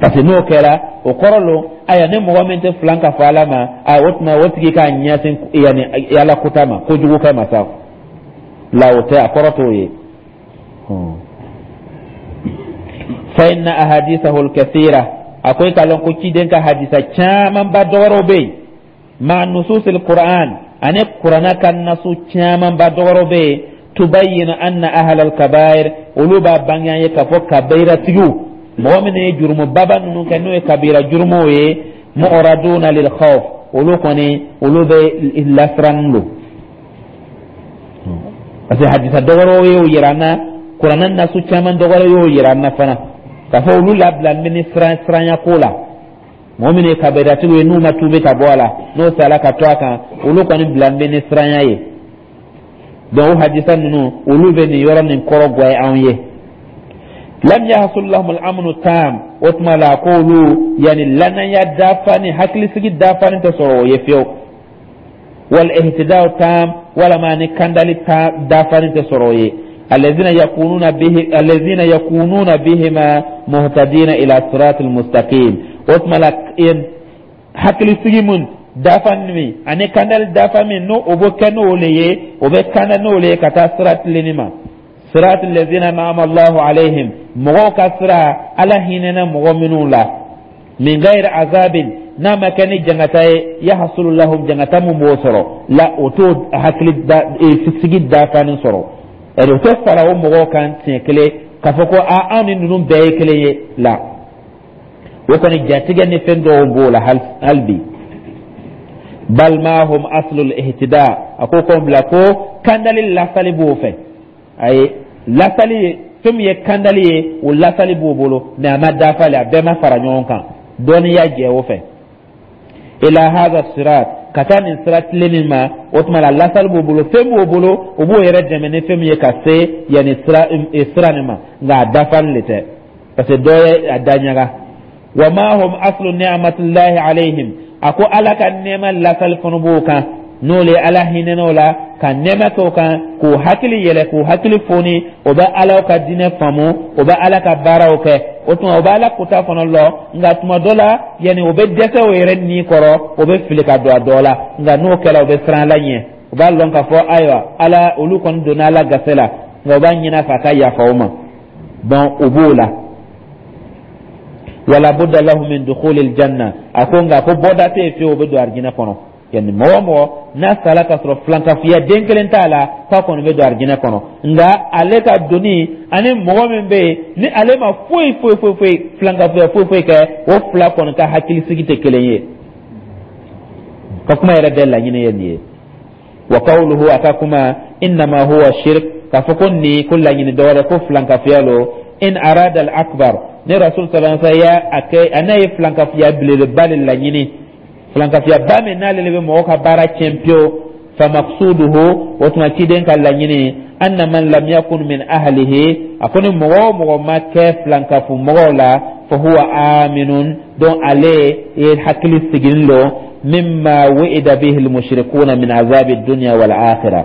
[SPEAKER 1] parce que n'o kɛra, o kɔrɔ lo ayiwa ni mɔgɔ min tɛ filan ka fɔ Ala ma, a o tuma o tigi k'a ɲɛsin yanni Ala kuta ma, kojugu kɛ ma sa la, o tɛ, a kɔrɔ t'o ye. Fa inna ahadithahu al-kathira, a ko i k'a lɔn ko ciden ka hadisa camanba dɔwɛrɛw bɛ yen, ma nususil Qur'an, ani Kurana ka nasu camanba dɔwɛrɛw bɛ yen. Tubayyinu anna ahla al-kabair, olu b'a bange an ye k'a fɔ kabairatigiw, mɔgɔ minnu ye jurumu baba ninnu kɛ, n'o ye kabira jurumuw ye, mu'raduna lil khawf, olu kɔni olu bɛ lasirannen don, parce que hadisa dɔwɛrɛw y'o yira an na, Kuranɛ nasu caman dɔwɛrɛ y'o yira an na fana, k'a fɔ olu labilalen bɛ ni siran siranya ko la. Mɔgɔ minnu ye kabiratigiw ye, n'u ma tuubi ka bɔ a la, n'o sala ka to a kan, olu kɔni bilalen bɛ ni siranya ye. Donc o hadisa ninnu, olu bɛ nin yɔrɔ nin kɔrɔ gɔ anw ye. Lam yahsul lahum al-amnu tam, o tuma la k'olu yani lanaya dafa ni hakilisigi dafa ni tɛ sɔrɔ o ye fiyewu, wal ihtida'u tam, walama ni kandali ta dafa ni tɛ sɔrɔ o ye. Alladhina yakununa bihi alladhina yakununa bihima muhtadina ila siratil mustaqim. O tuma la hakilisigi mun dafa min ani kandali dafa min, n'o o bɛ kɛ n'o le ye, o bɛ kanda n'o le ye ka taa sira tilenni ma, sirat allazina an'ama Allahu alayhim, mɔgɔw ka sira, Ala hinɛna mɔgɔ minnu la, min ghairi azabin, n'a ma kɛ ni jangata ye, yahsulu lahum, jangata mun b'o sɔrɔ la, o t'o hakili da sigi dafanin sɔrɔ, ɛri o tɛ fara o mɔgɔw kan siɲɛ kelen k'a fɔ ko a anw ni ninnu bɛɛ ye kelen ye la. O kɔni jatigɛ ni fɛn dɔw b'o la hali bi. Bal ma hum aslul ihtida, a ko ko bila ko kandali lasali b'o fɛ, ayi, lasali fɛn min ye kandali ye, o lasali b'o bolo, mais a ma dafa le, a bɛɛ ma fara ɲɔgɔn kan, dɔnniya jɛ o fɛ. Ila hadha sirat, ka taa nin sira tilennin ma, o tuma la lasali b'o bolo, fɛn b'o bolo, o b'o yɛrɛ dɛmɛ ni fɛn min ye ka se yanni sira sira nin ma, nka a dafalen de tɛ, parce que dɔ ye a da ɲaga. Wa ma hum aslu ni'matillahi alayhim, a ko Ala ka nɛɛma lasali fana b'o kan, n'o le Ala hinɛn'o la ka nɛɛma kɛ o kan, k'o hakili yɛlɛ, k'o hakili foni, o bɛ Ala ka diinɛ faamu, o bɛ Ala ka baaraw kɛ, o tuma o bɛ Ala kota fana lɔ. Nka tuma dɔ la yanni o bɛ dɛsɛ o yɛrɛ ni kɔrɔ, o bɛ fili ka don a dɔ la, nka n'o kɛra, o bɛ siran Ala ɲɛ, o b'a lɔn k'a fɔ ayiwa, Ala olu kɔni donna Ala gase la, nka o b'a ɲini a fɛ a ka yafa o ma. Donc o b'o la. Wala budda lahu min dukhulil janna, a ko nka ko bɔda tɛ yen fiyewu, o bɛ don arijinɛ kɔnɔ. Yanni mɔgɔ o mɔgɔ n'a sala ka sɔrɔ filankafoya den kelen t'a la, k'a kɔni bɛ don arijinɛ kɔnɔ. Nka ale ka doni ani mɔgɔ min bɛ yen ni ale ma foyi foyi foyi foyi filankafoya foyi foyi kɛ, o fila kɔni ka hakilisigi tɛ kelen ye. Ka kuma yɛrɛ bɛɛ laɲini ye nin ye. Wa qawluhu, a ka kuma, innama huwa shirk, k'a fɔ ko nin ko laɲini dɔwɛrɛ ko filankafoya lo, in arada al akbar, ni Rasul sallallahu alaihi wasallam ya a kɛ a n'a ye filankafoya belebeleba de laɲini, filankafoya ba min n'ale de bɛ mɔgɔ ka baara tiɲɛ pewu, fa maqsuduhu, o tuma ciden ka laɲini, anna man lam yakun min ahlihi, a ko ni mɔgɔ o mɔgɔ ma kɛ filankafu mɔgɔw la, fa huwa aminun, donc ale ye hakili sigilen don, mimma wu'ida bihi almushrikuna min azabi dunya wal akhirah.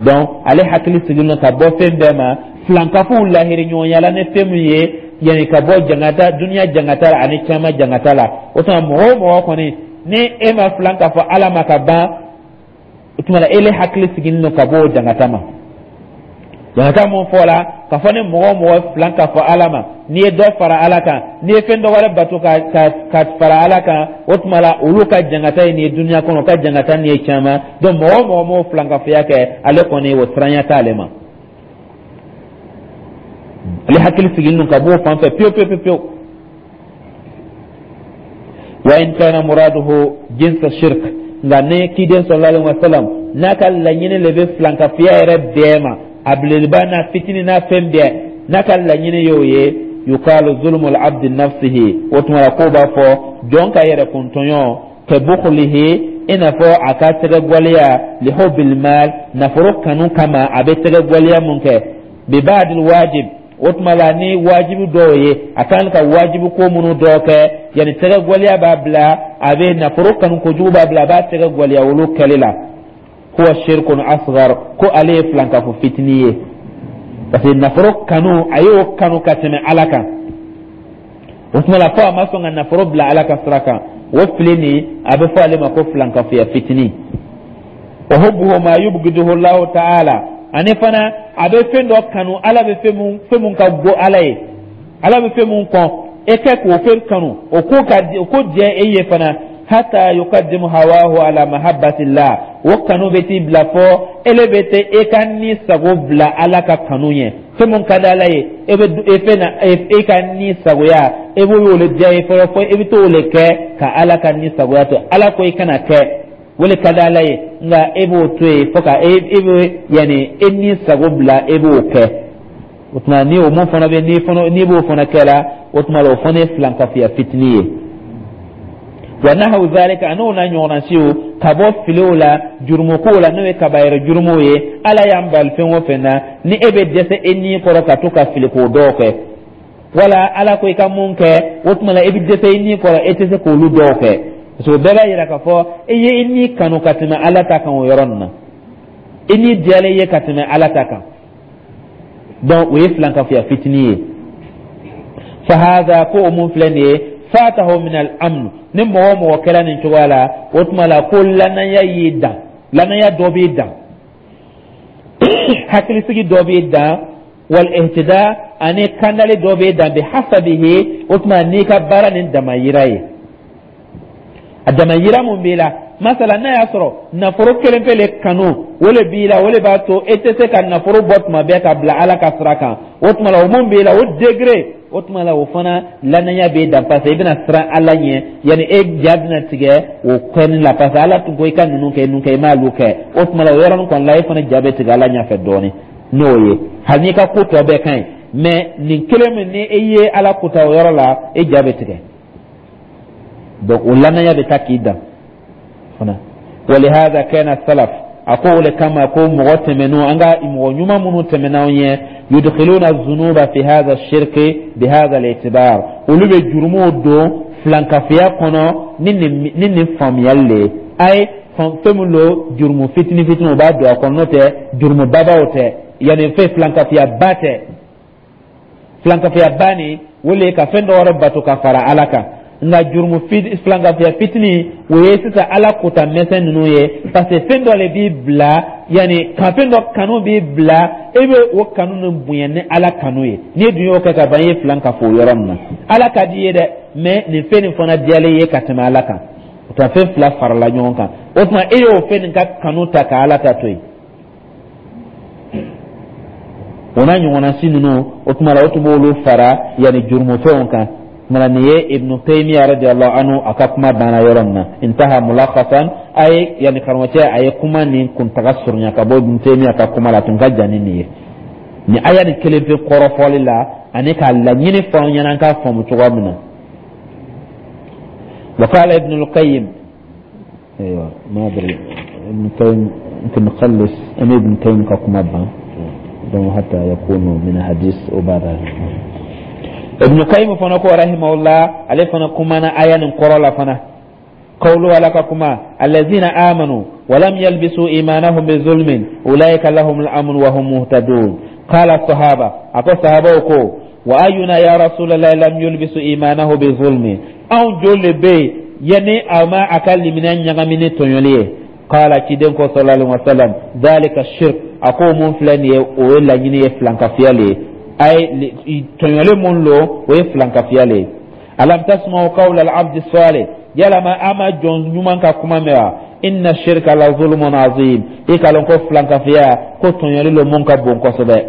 [SPEAKER 1] Donc ale hakili sigilen don ka bɔ fɛn bɛɛ ma, filankafuw lahiri ɲɔgɔnya ni fɛn min ye, yani ka bɔ jangata, duniya jangata la ani caman jangata la. O tuma mɔgɔ o mɔgɔ kɔni ni e ma filan k'a fɔ Ala ma ka ban, o tuma la ele hakili sigilen don ka bɔ o jangata ma. Jangata mun fɔla k'a fɔ ni mɔgɔ o mɔgɔ filan k'a fɔ Ala ma, n'i ye dɔ fara Ala kan, n'i ye fɛn dɔ wɛrɛ bato ka ka ka fara Ala kan, o tuma la olu ka jangata ye nin ye duniya kɔnɔ, o ka jangata nin ye caman. Donc mɔgɔ o mɔgɔ m'o filankafoya kɛ, ale kɔni o siranya t'ale ma, ale hakili sigilen don ka bɔ o fan fɛ pewu pewu pewu. Wa in kana muraduhu jinsa shirk, nka ne kiden sallallahu alaihi wasallam n'a ka laɲini le bɛ filankafoya yɛrɛ bɛɛ ma, a belebeleba n'a fitinin n'a fɛn bɛɛ, n'a ka laɲini y'o ye, yukalu zulmul abdi nafsihi, o tuma la k'o b'a fɔ jɔn ka yɛrɛ kuntɔɲɔ, ka bukhlihi, i n'a fɔ a ka tɛgɛ gwaleya, lihubbil mal, nafolo kanu kama, a bɛ tɛgɛ gwaleya mun kɛ, bi ba'dil wajib, o tuma la ni wajibi dɔw ye, a kan ka wajibi ko minnu dɔw kɛ, yanni tɛgɛ gwaleya b'a bila a bɛ nafolo kanu kojugu b'a bila a b'a tɛgɛ gwaleya olu kɛli la, huwa shirkun asghar, ko ale ye filankafo fitinin ye, parce que nafolo kanu, a y'o kanu ka tɛmɛ Ala kan. O tuma la fo a ma sɔn ka nafolo bila Ala ka sira kan, o fili nin a bɛ fɔ ale ma ko filankafoya fitinin. Wa hubbuhu ma yubghiduhu Allahu ta'ala, ani fana a bɛ fɛn dɔ kanu, Ala bɛ fɛn mun fɛn mun ka go Ala ye, Ala bɛ fɛn mun kɔn, e kɛ k'o fɛn kanu, o ko ka o ko diya e ye fana. Hatta yukaddimu hawahu ala mahabbatillah, o kanu bɛ t'i bila fɔ ele bɛ te e ka ni sago bila Ala ka kanu ɲɛ. Fɛn mun ka di Ala ye, e bɛ e fɛn na e ka ni sagoya, e b'o le diya ye fɔlɔ, fɔ e bɛ t'o le kɛ ka Ala ka ni sagoya to. Ala ko i kana kɛ, o le ka di Ala ye, nka e b'o to yen fo ka e e bɛ yanni e ni sago bila, e b'o kɛ. O tuma ni o mun fana bɛ n'i fana n'i b'o fana kɛ la, o tuma la o fana ye filankafoya fitinin ye. Wa nahawu zalika, an'o n'a ɲɔgɔnna siw, ka bɔ filiw la, jurumukow la, n'o ye kabayɛrɛ jurumuw ye. Ala y'an bali fɛn o fɛn na, ni e bɛ dɛsɛ e ni kɔrɔ ka to ka fili k'o dɔw kɛ, wala Ala ko i ka mun kɛ, o tuma la i bɛ dɛsɛ i ni kɔrɔ, e tɛ se k'olu dɔw kɛ, parce que o bɛɛ b'a yira k'a fɔ e ye i ni kanu ka tɛmɛ Ala ta kan. O yɔrɔ nin na, i ni diyalen ye ka tɛmɛ Ala ta kan, donc o ye filankafoya fitinin ye. Fahaza, ko o mun filɛ nin ye, fatahu min al amn, ni mɔgɔ o mɔgɔ kɛra nin cogoya la, o tuma la ko lanaya y'i dan, lanaya dɔ b'i dan, hakilisigi dɔ b'i dan, wal ihtida, ani kandali dɔ b'i dan, bi hasabihi, o tuma n'i ka baara nin damayira ye, a damayira mun b'i la. Masala, n'a y'a sɔrɔ nafolo kelen pe le kanu o le b'i la, o le b'a to e tɛ se ka nafolo bɔ tuma bɛɛ ka bila Ala ka sira kan, o tuma la o mun b'i la, o degré, o tuma la o fana lanaya b'e dan, parce que i bɛna siran Ala ɲɛ, yanni e ja bɛna tigɛ o kɛni la, parce que Ala tun ko i ka ninnu kɛ, ninnu kɛ, i m'olu kɛ. O tuma la o yɔrɔnin kɔni la, e fana ja bɛ tigɛ Ala ɲɛfɛ dɔɔnin n'o ye, hali n'i ka ko tɔ bɛɛ ka ɲi, mais nin kelen min ni e ye Ala kuta o yɔrɔ la, e ja bɛ tigɛ. Donc o lanaya bɛ taa k'i dan fana. Walihada kana salaf, a ko o le kama ko mɔgɔ tɛmɛnenw, an ka mɔgɔ ɲuman minnu tɛmɛna anw ɲɛ, yudkhiluna zunuba fi hadha shirki bi hadha al-i'tibar, olu bɛ jurumuw don filankafoya kɔnɔ ni nin ni nin faamuyali le ye. A ye fɛn min don, jurumu fitinin fitinin, o b'a don a kɔnɔ, n'o tɛ jurumu babaw tɛ, yanni fɛn filankafoya ba tɛ. Filankafoya ba nin, o le ye ka fɛn dɔ wɛrɛ bato ka fara Ala kan. Nka jurumu filankafoya fitinin, o ye sisan Ala kota mɛsɛn ninnu ye, parce que fɛn dɔ le b'i bila, yanni ka fɛn dɔ kanu b'i bila, e bɛ o kanu nin bonya ni Ala kanu ye. N'i dun y'o kɛ ka ban, i ye filan ka fo o yɔrɔ nin na. Ala ka di i ye dɛ, mais nin fɛn nin fana diyalen ye ka tɛmɛ Ala kan. O tuma fɛn fila farala ɲɔgɔn kan, o tuma e y'o fɛn nin ka kanu ta ka Ala ta to yen. O n'a ɲɔgɔnna si ninnu, o tuma la o tun b'olu fara yanni jurumufɛnw kan. Kumana nin ye Ibnu Taymiya radiyallahu anhu a ka kuma banna yɔrɔ min na, intaha mulakhasan, a ye yanni karamɔgɔcɛ a ye kuma nin kuntaga surunya ka bɔ Ibnu Taymiya ka kuma la, a tun ka jan ni nin ye. Nin aya nin kelen pe kɔrɔfɔli la ani k'a laɲini fɔ an ɲɛna an k'a faamu cogoya min na. Wa qala Ibnu al-Qayyim, aywa, ma adri, Ibn Qayyim يمكن نخلص أم ابن قيم كما بان donc hatta yakunu min hadis o bada. Ibn Qayyim fana ko rahimahullah, ale fana kumana aya nin kɔrɔ la fana. Qawlu, ala ka kuma, allazina amanu wa lam yalbisu imanahum bi zulmin ulaika lahum al-amn wa hum muhtadun. Qala sahaba, ako sahabaw ko, wa ayuna ya rasulallah lam yulbisu imanahu bi zulmi? Anw joli bɛ yen yani a ma a ka limaniya ɲagami ni tɔɲɔli ye? Qala, ciden ko sallallahu alaihi wasallam, dhalika shirk, a ko mun filɛ nin ye, o ye laɲini ye filankafiya le ye. A ye tɔɲɔli mun lo, o ye filankafiya le ye. Alam tasma'u qawla al-abdi salih, yalama a ma jɔn ɲuman ka kuma mɛn wa? Inna shirka la zulmun azim, i k'a lɔn ko filankafiya ko tɔɲɔli lo mun ka bon kosɛbɛ.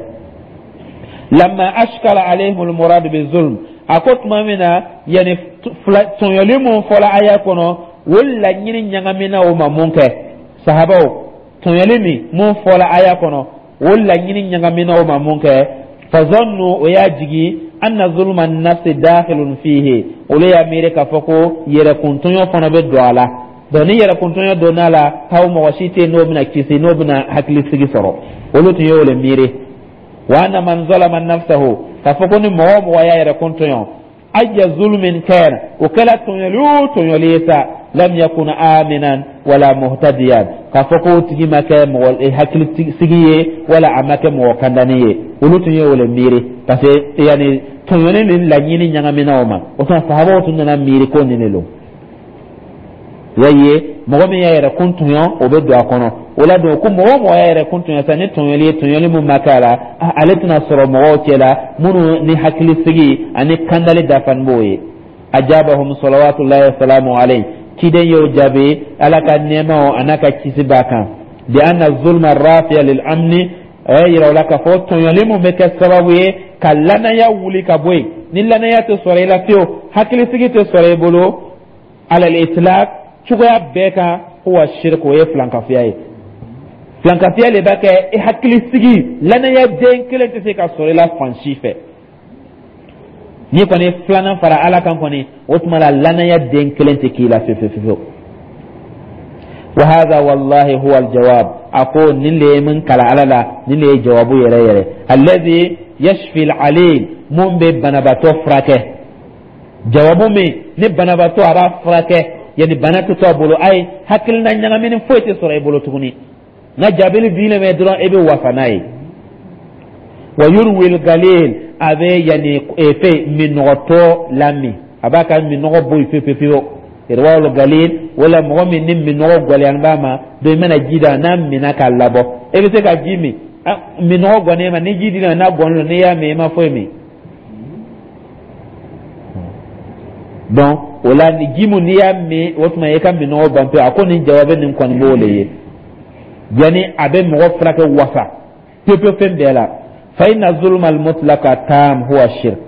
[SPEAKER 1] Lamma ashkala alayhim al-murad bi zulm, a ko tuma min na yani tɔɲɔli mun fɔla aya kɔnɔ, o laɲini ɲagamina o ma mun kɛ, sahabaw, tɔɲɔli min mun fɔla aya kɔnɔ, o laɲini ɲagamina o ma mun kɛ, fazannu, o y'a jigi, anna zulma nafsi dakhilun fihi, olu y'a miiri k'a fɔ ko yɛrɛkuntɔɲɔ fana bɛ don a la. Donc ni yɛrɛkuntɔɲɔ donna a la, k'aw mɔgɔ si tɛ yen n'o bɛna kisi, n'o bɛna hakilisigi sɔrɔ, olu tun y'o le miiri. Wa anna man zalama nafsahu, k'a fɔ ko ni mɔgɔ o mɔgɔ y'a yɛrɛkun tɔɲɔ, ayya zulmin kana, o kɛla tɔɲɔli o tɔɲɔli ye sa, lam yakun aminan wala muhtadiyan, k'a fɔ k'o tigi ma kɛ mɔgɔ hakilisigi ye wala a ma kɛ mɔgɔ kandani ye. Olu tun ye o le miiri, parce que yani tɔɲɔni ni laɲini ɲagamina o ma. O tuma sahabaw tun nana miiri ko nin de lo y'a ye, mɔgɔ min y'a yɛrɛ kun tɔɲɔ, o bɛ don a kɔnɔ. O la don ko mɔgɔ o mɔgɔ y'a yɛrɛ kun tɔɲɔ sa ni tɔɲɔli ye, tɔɲɔli min ma kɛ a la, ale tɛna sɔrɔ mɔgɔw cɛ la minnu ni hakilisigi ani kandali dafani b'o ye. Ajabahum salawatullahi wasalamu alayhi, Ciden y'o jaabi, Ala ka nɛɛma a n'a ka kisi b'a kan, bi anna zulma rafi'a lil amni. A y'a yira o la k'a fɔ tɔɲɔli mun bɛ kɛ sababu ye ka lanaya wuli ka bɔ yen, ni lanaya tɛ sɔrɔ i la fiyewu, hakilisigi tɛ sɔrɔ i bolo, alal itlaq, cogoya bɛɛ kan, huwa shirk, o ye filankafoya ye. Filankafoya de b'a kɛ i hakilisigi, lanaya den kelen tɛ se ka sɔrɔ i la fan si fɛ. N'i kɔni ye filanan fara Ala kan kɔni, o tuma la lanaya den kelen tɛ k'i la fiyewu fiyewu. Wa hadha wallahi huwa aljawab. A ko nin de ye min kala Ala la, nin de ye jawabu yɛrɛ yɛrɛ, alladhi yashfi al'alil, mun bɛ banabaatɔ furakɛ, jawabu min ni banabaatɔ a b'a furakɛ, yani bana tɛ to a bolo, ayi, hakilina ɲagamini foyi tɛ sɔrɔ i bolo tuguni. Nka jaabili dilen bɛ dɔrɔn, e bɛ wasa n'a ye. Wa yurwil galil, a bɛ yani fɛn minɔgɔtɔ lamin, a b'a ka minɔgɔ bɔ yen pewu pewu. Irwawul galil, wala mɔgɔ min ni minɔgɔ gɛlɛyalen b'a ma, donc i mana ji d'a n'a minna k'a labɔ, e bɛ se ka ji min. Minɔgɔ gɔnnen ma, ni ji dira n'a gɔnnen don, n'i y'a min, i ma foyi min. Donc o la, ni ji mun n'i y'a min, o tuma i ka minɔgɔ ban pewu. A ko nin jawabi nin kɔni b'o le ye, yani a bɛ mɔgɔ furakɛ wasa pewu pewu fɛn bɛɛ la. Fa inna zulma al-mutlaqa tam huwa shirk.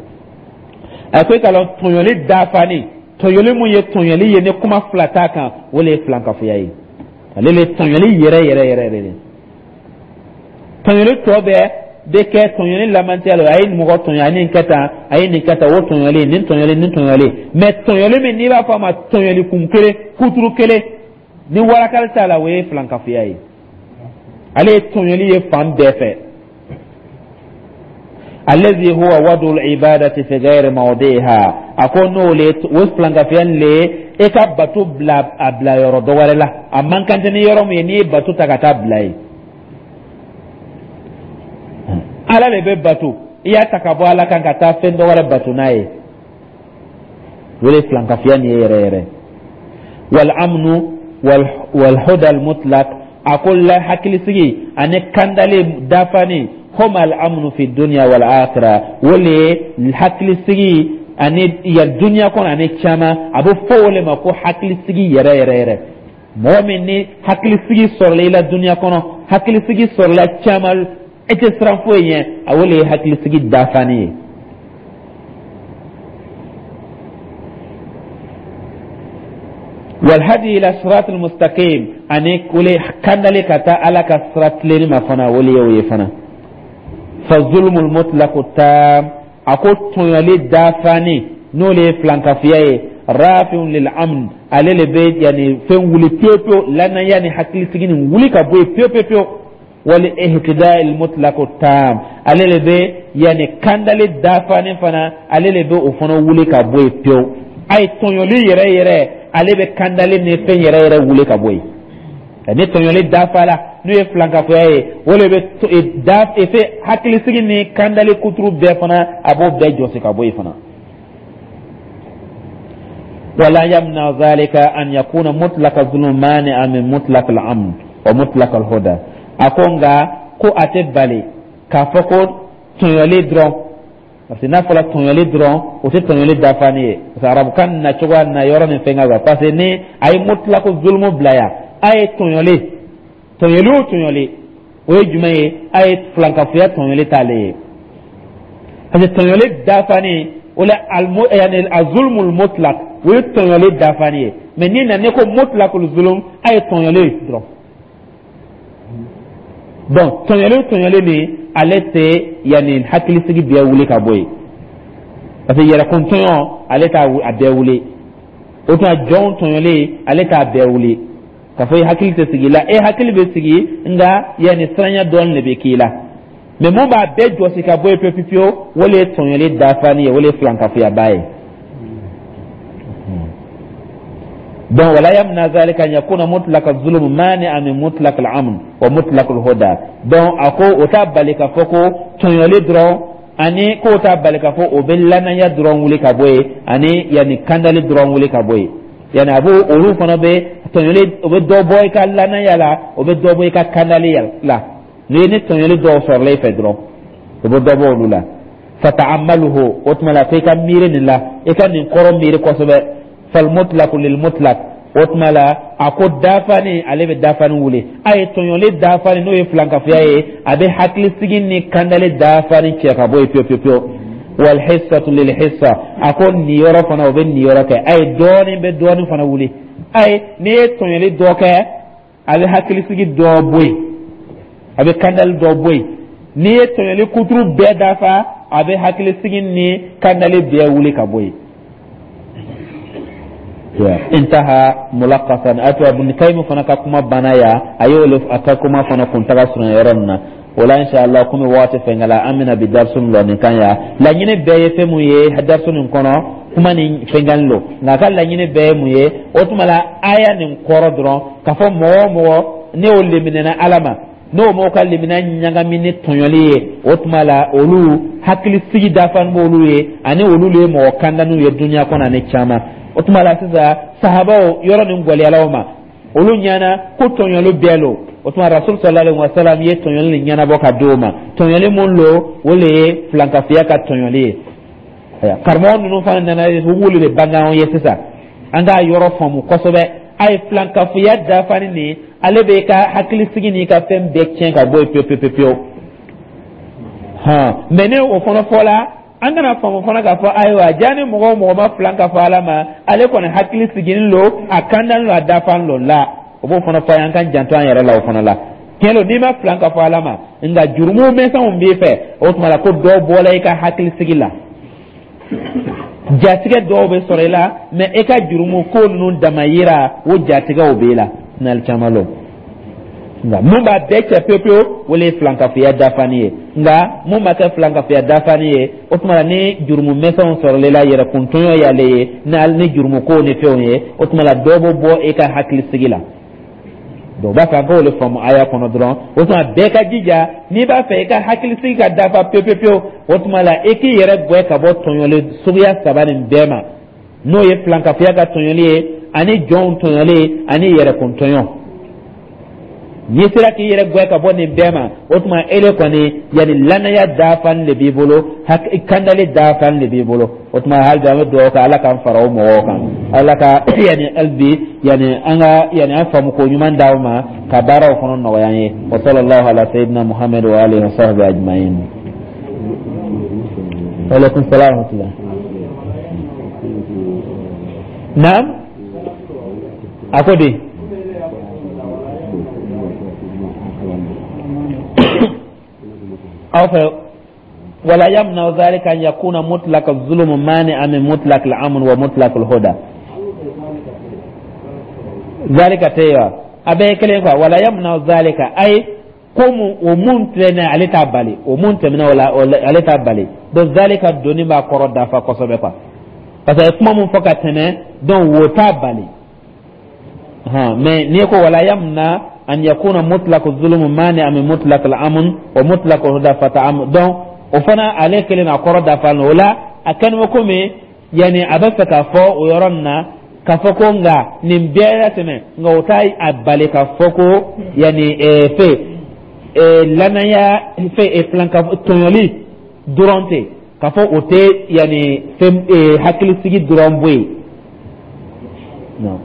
[SPEAKER 1] A ko i ka lɔn tɔɲɔli dafani, tɔɲɔli mun ye tɔɲɔli ye ni kuma fila t'a kan, o le ye filankafoya ye. Ale le ye tɔɲɔli yɛrɛ yɛrɛ yɛrɛ yɛrɛ de. Tɔɲɔli tɔ bɛɛ bɛ kɛ tɔɲɔli lamantiya la, a ye mɔgɔ tɔɲɔ, a ye nin kɛ tan, a ye nin kɛ tan, o tɔɲɔli, nin tɔɲɔli, nin tɔɲɔli. Mɛ tɔɲɔli min n'i b'a fɔ a ma tɔɲɔli kun kelen, kuturu kelen, ni warakali t'a la, o ye filankafoya ye. Ale ye tɔɲɔli ye fan bɛɛ fɛ. Allazi huwa wadu ibadati fi ghairi mawdiha. A ko n'o le o filankafoya le ye e ka bato bila a bila yɔrɔ dɔ wɛrɛ la, a man kan tɛ ni yɔrɔ min ye, n'i ye bato ta ka taa bila yen. Ala de bɛ bato, i y'a ta ka bɔ Ala kan ka taa fɛn dɔ wɛrɛ bato n'a ye, o de ye filankafoya nin ye yɛrɛ yɛrɛ. Wal amnu wal huda al mutlaq. A ko la hakilisigi ani kandali dafani, huma al amnu fi dunya wal akhirah, o le ye hakilisigi ani ya dunya kɔnɔ ani caman. A bɛ fɔ o le ma ko hakilisigi yɛrɛ yɛrɛ yɛrɛ. Mɔgɔ min ni hakilisigi sɔrɔla i la dunya kɔnɔ, hakilisigi sɔrɔla caman, e tɛ siran foyi ɲɛ, a o le ye hakilisigi dafani ye. Walhadi ila sirat almustaqim, ani kole kandali ka taa Ala ka sira tilenni ma fana, o le ye o ye fana. Fa zulmul mutlaqu tam. A ko tɔɲɔli dafani, n'o le ye filankafoya ye, rafiun lil amn, ale le bɛ yani fɛn wuli pewu pewu, lanaya ni hakilisigi nin wuli ka bɔ yen pewu pewu pewu. Wal ihtida al mutlaqu tam, ale le bɛ yani kandali dafani fana, ale le bɛ o fana wuli ka bɔ yen pewu. A ye tɔɲɔli yɛrɛ yɛrɛ, ale bɛ kandali ni fɛn yɛrɛ yɛrɛ wuli ka bɔ yen. Ni tɔɲɔli dafala, n'o ye filankafoya ye, o de bɛ da fɛn hakilisigi ni kandali kuturu bɛɛ fana, a b'o bɛɛ jɔsi ka bɔ yen fana. Wala yamna zalika an yakuna mutlaka zulm mani'a min mutlaq al-amn wa mutlaq al-huda. A ko nka ko a tɛ bali k'a fɔ ko tɔɲɔli dɔrɔn, parce que n'a fɔra tɔɲɔli dɔrɔn, o tɛ tɔɲɔli dafani ye, parce que arabukan na cogoya na yɔrɔ ni fɛn ka kan, parce que ni a ye mutlaq zulmu bila yan, a ye tɔɲɔli, tɔɲɔli o tɔɲɔli, o ye jumɛn ye? A ye filankafoya tɔɲɔli t'ale ye, parce que tɔɲɔli dafani o la almu yani azulmul mutlaq, o ye tɔɲɔli dafani ye. Mais ni na ne ko mutlaqul zulum, a ye tɔɲɔli dɔrɔn, donc tɔɲɔli tɔɲɔli nin, ale tɛ yanni hakilisigi bɛɛ wuli ka bɔ yen, parce que yɛrɛkun tɔɲɔ, ale t'a a bɛɛ wuli. O tuma jɔnw tɔɲɔli, ale t'a bɛɛ wuli k'a fɔ i hakili tɛ sigi la. E hakili bɛ sigi, nka yanni siranya dɔɔnin de bɛ k'i la. Mais mun b'a bɛɛ jɔsi ka bɔ yen pewu pewu, o de ye tɔɲɔli dafani ye, o de ye filankafuyaba ye. Donc wala yamna zalika an yakuna mutlaq az-zulm mani'an min mutlaq al-amn wa mutlaq al-huda. Donc a ko o t'a bali k'a fɔ ko tɔɲɔli dɔrɔn, ani k'o t'a bali k'a fɔ o bɛ lanaya dɔrɔn wuli ka bɔ yen, ani yanni kandali dɔrɔn wuli ka bɔ yen. Yani a b'o olu fana bɛ tɔɲɔli, o bɛ dɔ bɔ i ka lanaya la, o bɛ dɔ bɔ i ka kandali la. Ni ni tɔɲɔli dɔw sɔrɔla i fɛ dɔrɔn, o bɛ dɔ bɔ olu la. Fata'ammaluhu, o tuma la ko i ka miiri nin la, i ka nin kɔrɔ miiri kosɛbɛ. Falmutlaqu lilmutlaq. O tuma la, a ko dafani, ale bɛ dafani wuli. A ye tɔɲɔli dafani, n'o ye filankafoya ye, a bɛ hakilisigi ni kandali dafani cɛ ka bɔ yen pewu pewu pewu. Walhissatu lilhissa, a ko niyɔrɔ fana, o bɛ niyɔrɔ kɛ. A ye dɔɔnin bɛ dɔɔnin fana wuli. A ye n'i ye tɔɲɔli dɔ kɛ, a bɛ hakilisigi dɔ bɔ yen, a bɛ kandali dɔ bɔ yen. N'i ye tɔɲɔli kuturu bɛɛ dafa, a bɛ hakilisigi ni kandali bɛɛ wuli ka bɔ yen. Intaha mulakasan. A to Ibn Qayyim fana ka kuma banna ya, a y'o le a ka kuma fana kuntaga surunya yɔrɔ nin na. O la, inshallah, komi waati fɛnkɛla, an bɛna bi darisu nin lɔ nin kan ya. Laɲini bɛɛ ye fɛn mun ye darisu nin kɔnɔ, kuma nin fɛnkɛli lo, nka a ka laɲini bɛɛ ye mun ye? O tuma la, aya nin kɔrɔ dɔrɔn k'a fɔ mɔgɔ o mɔgɔ ne y'o leminɛna Ala ma, n'o m'o ka limina ɲagami ni tɔɲɔli ye, o tuma la olu hakilisigi dafani b'olu ye, ani olu le ye mɔgɔ kandaniw ye dunuya kɔnɔ ani caman. O tuma la sisan, sahabaw yɔrɔ nin gwɛlɛyala o ma, olu ɲɛna ko tɔɲɔli bɛɛ lo. O tuma Rasul sallallahu alaihi wasallam ye tɔɲɔli nin ɲɛnabɔ ka di o ma. Tɔɲɔli mun lo? O le ye filankafoya ka tɔɲɔli ye. Karamɔgɔ ninnu fana nana, u b'olu de bange anw ye sisan, an k'a yɔrɔ faamu kosɛbɛ. A ye filankafoya dafani nin, ale bɛ ka hakilisigi n'i ka fɛn bɛɛ tiɲɛ ka bɔ yen pewu pewu pewu. Hɔn, mɛ ne o fana fɔla, an kana faamu fana k'a fɔ ayiwa, ja ni mɔgɔ o mɔgɔ ma filan ka fɔ Ala ma, ale kɔni hakili sigilen lo, a kandalen lo, a dafalen lo la. O b'o fana fɔ an k'an janto an yɛrɛ la o fana la. Tiɲɛ don, n'i ma filan ka fɔ Ala ma, nka jurumu misɛnw b'i fɛ, o tuma la ko dɔ bɔla i ka hakilisigi la, jatigɛ dɔw bɛ sɔrɔ i la, mɛ e ka jurumu ko ninnu dama yira, o jatigɛw b'i la sinali caman lo. Nka mun b'a bɛɛ cɛ pewu pewu, o le ye filankafoya dafani ye. Nka mun ma kɛ filankafoya dafani ye, o tuma la ni jurumu misɛnw sɔrɔla i la, yɛrɛkuntɔɲɔ y'ale ye ni jurumu kow ni fɛnw ye, o tuma la dɔ bɛ bɔ e ka hakilisigi la. Donc u b'a fɛ an k'o de faamu aya kɔnɔ dɔrɔn. O tuma bɛɛ ka jija, n'i b'a fɛ i ka hakilisigi ka dafa pewu pewu pewu, o tuma la i k'i yɛrɛ gɛn ka bɔ tɔɲɔli suguya saba nin bɛɛ ma, n'o ye filankafoya ka tɔɲɔli ye, ani jɔnw tɔɲɔli, ani yɛrɛkuntɔɲɔ. N'i sera k'i yɛrɛ gɛn ka bɔ nin bɛɛ ma, o tuma e de kɔni yanni lanaya dafani de b'i bolo, kandali dafani de b'i bolo. O tuma hali bi an bɛ dugawu kɛ, Ala k'an fara o mɔgɔw kan, Ala ka yanni hali bi yanni an ka yanni an faamu ko ɲuman d'aw ma ka baaraw fana nɔgɔya an ye. Wa sallallahu ala sayyidina Muhammad wa alihi wa sahbihi ajma'in. Wa alaikum salam wa rahmatullah. Naam, a ko di aw fɛ? Wala yamna dhalika an yakuna mutlaq az-zulm mani'an min mutlaq al-amn wa mutlaq al-huda. Zalika tɛ wa, a bɛɛ ye kelen quoi. Wala yamna zalika, ay ko mun o mun filɛ, ale t'a bali, o mun tɛmɛna o la, ale t'a bali. Donc zalika donni b'a kɔrɔ dafa kosɛbɛ quoi, parce que kuma mun fɔ ka tɛmɛ, donc wo t'a bali. Mais n'i ko wala yamna an yakuna mutlaq zulum mani'a min mutlaq al-amn wa mutlaq al-huda fata'am, donc o fana ale kelen a kɔrɔ dafa o la. A kɛlen bɛ komi yanni a bɛ fɛ k'a fɔ o yɔrɔ nin na k'a fɔ ko nka nin bɛɛ la tɛmɛ, nka o t'a a bali k'a fɔ ko yanni fɛ lanaya fɛ filanka tɔɲɔli dɔrɔn tɛ k'a fɔ o tɛ yanni fɛn hakilisigi dɔrɔn bɔ yen.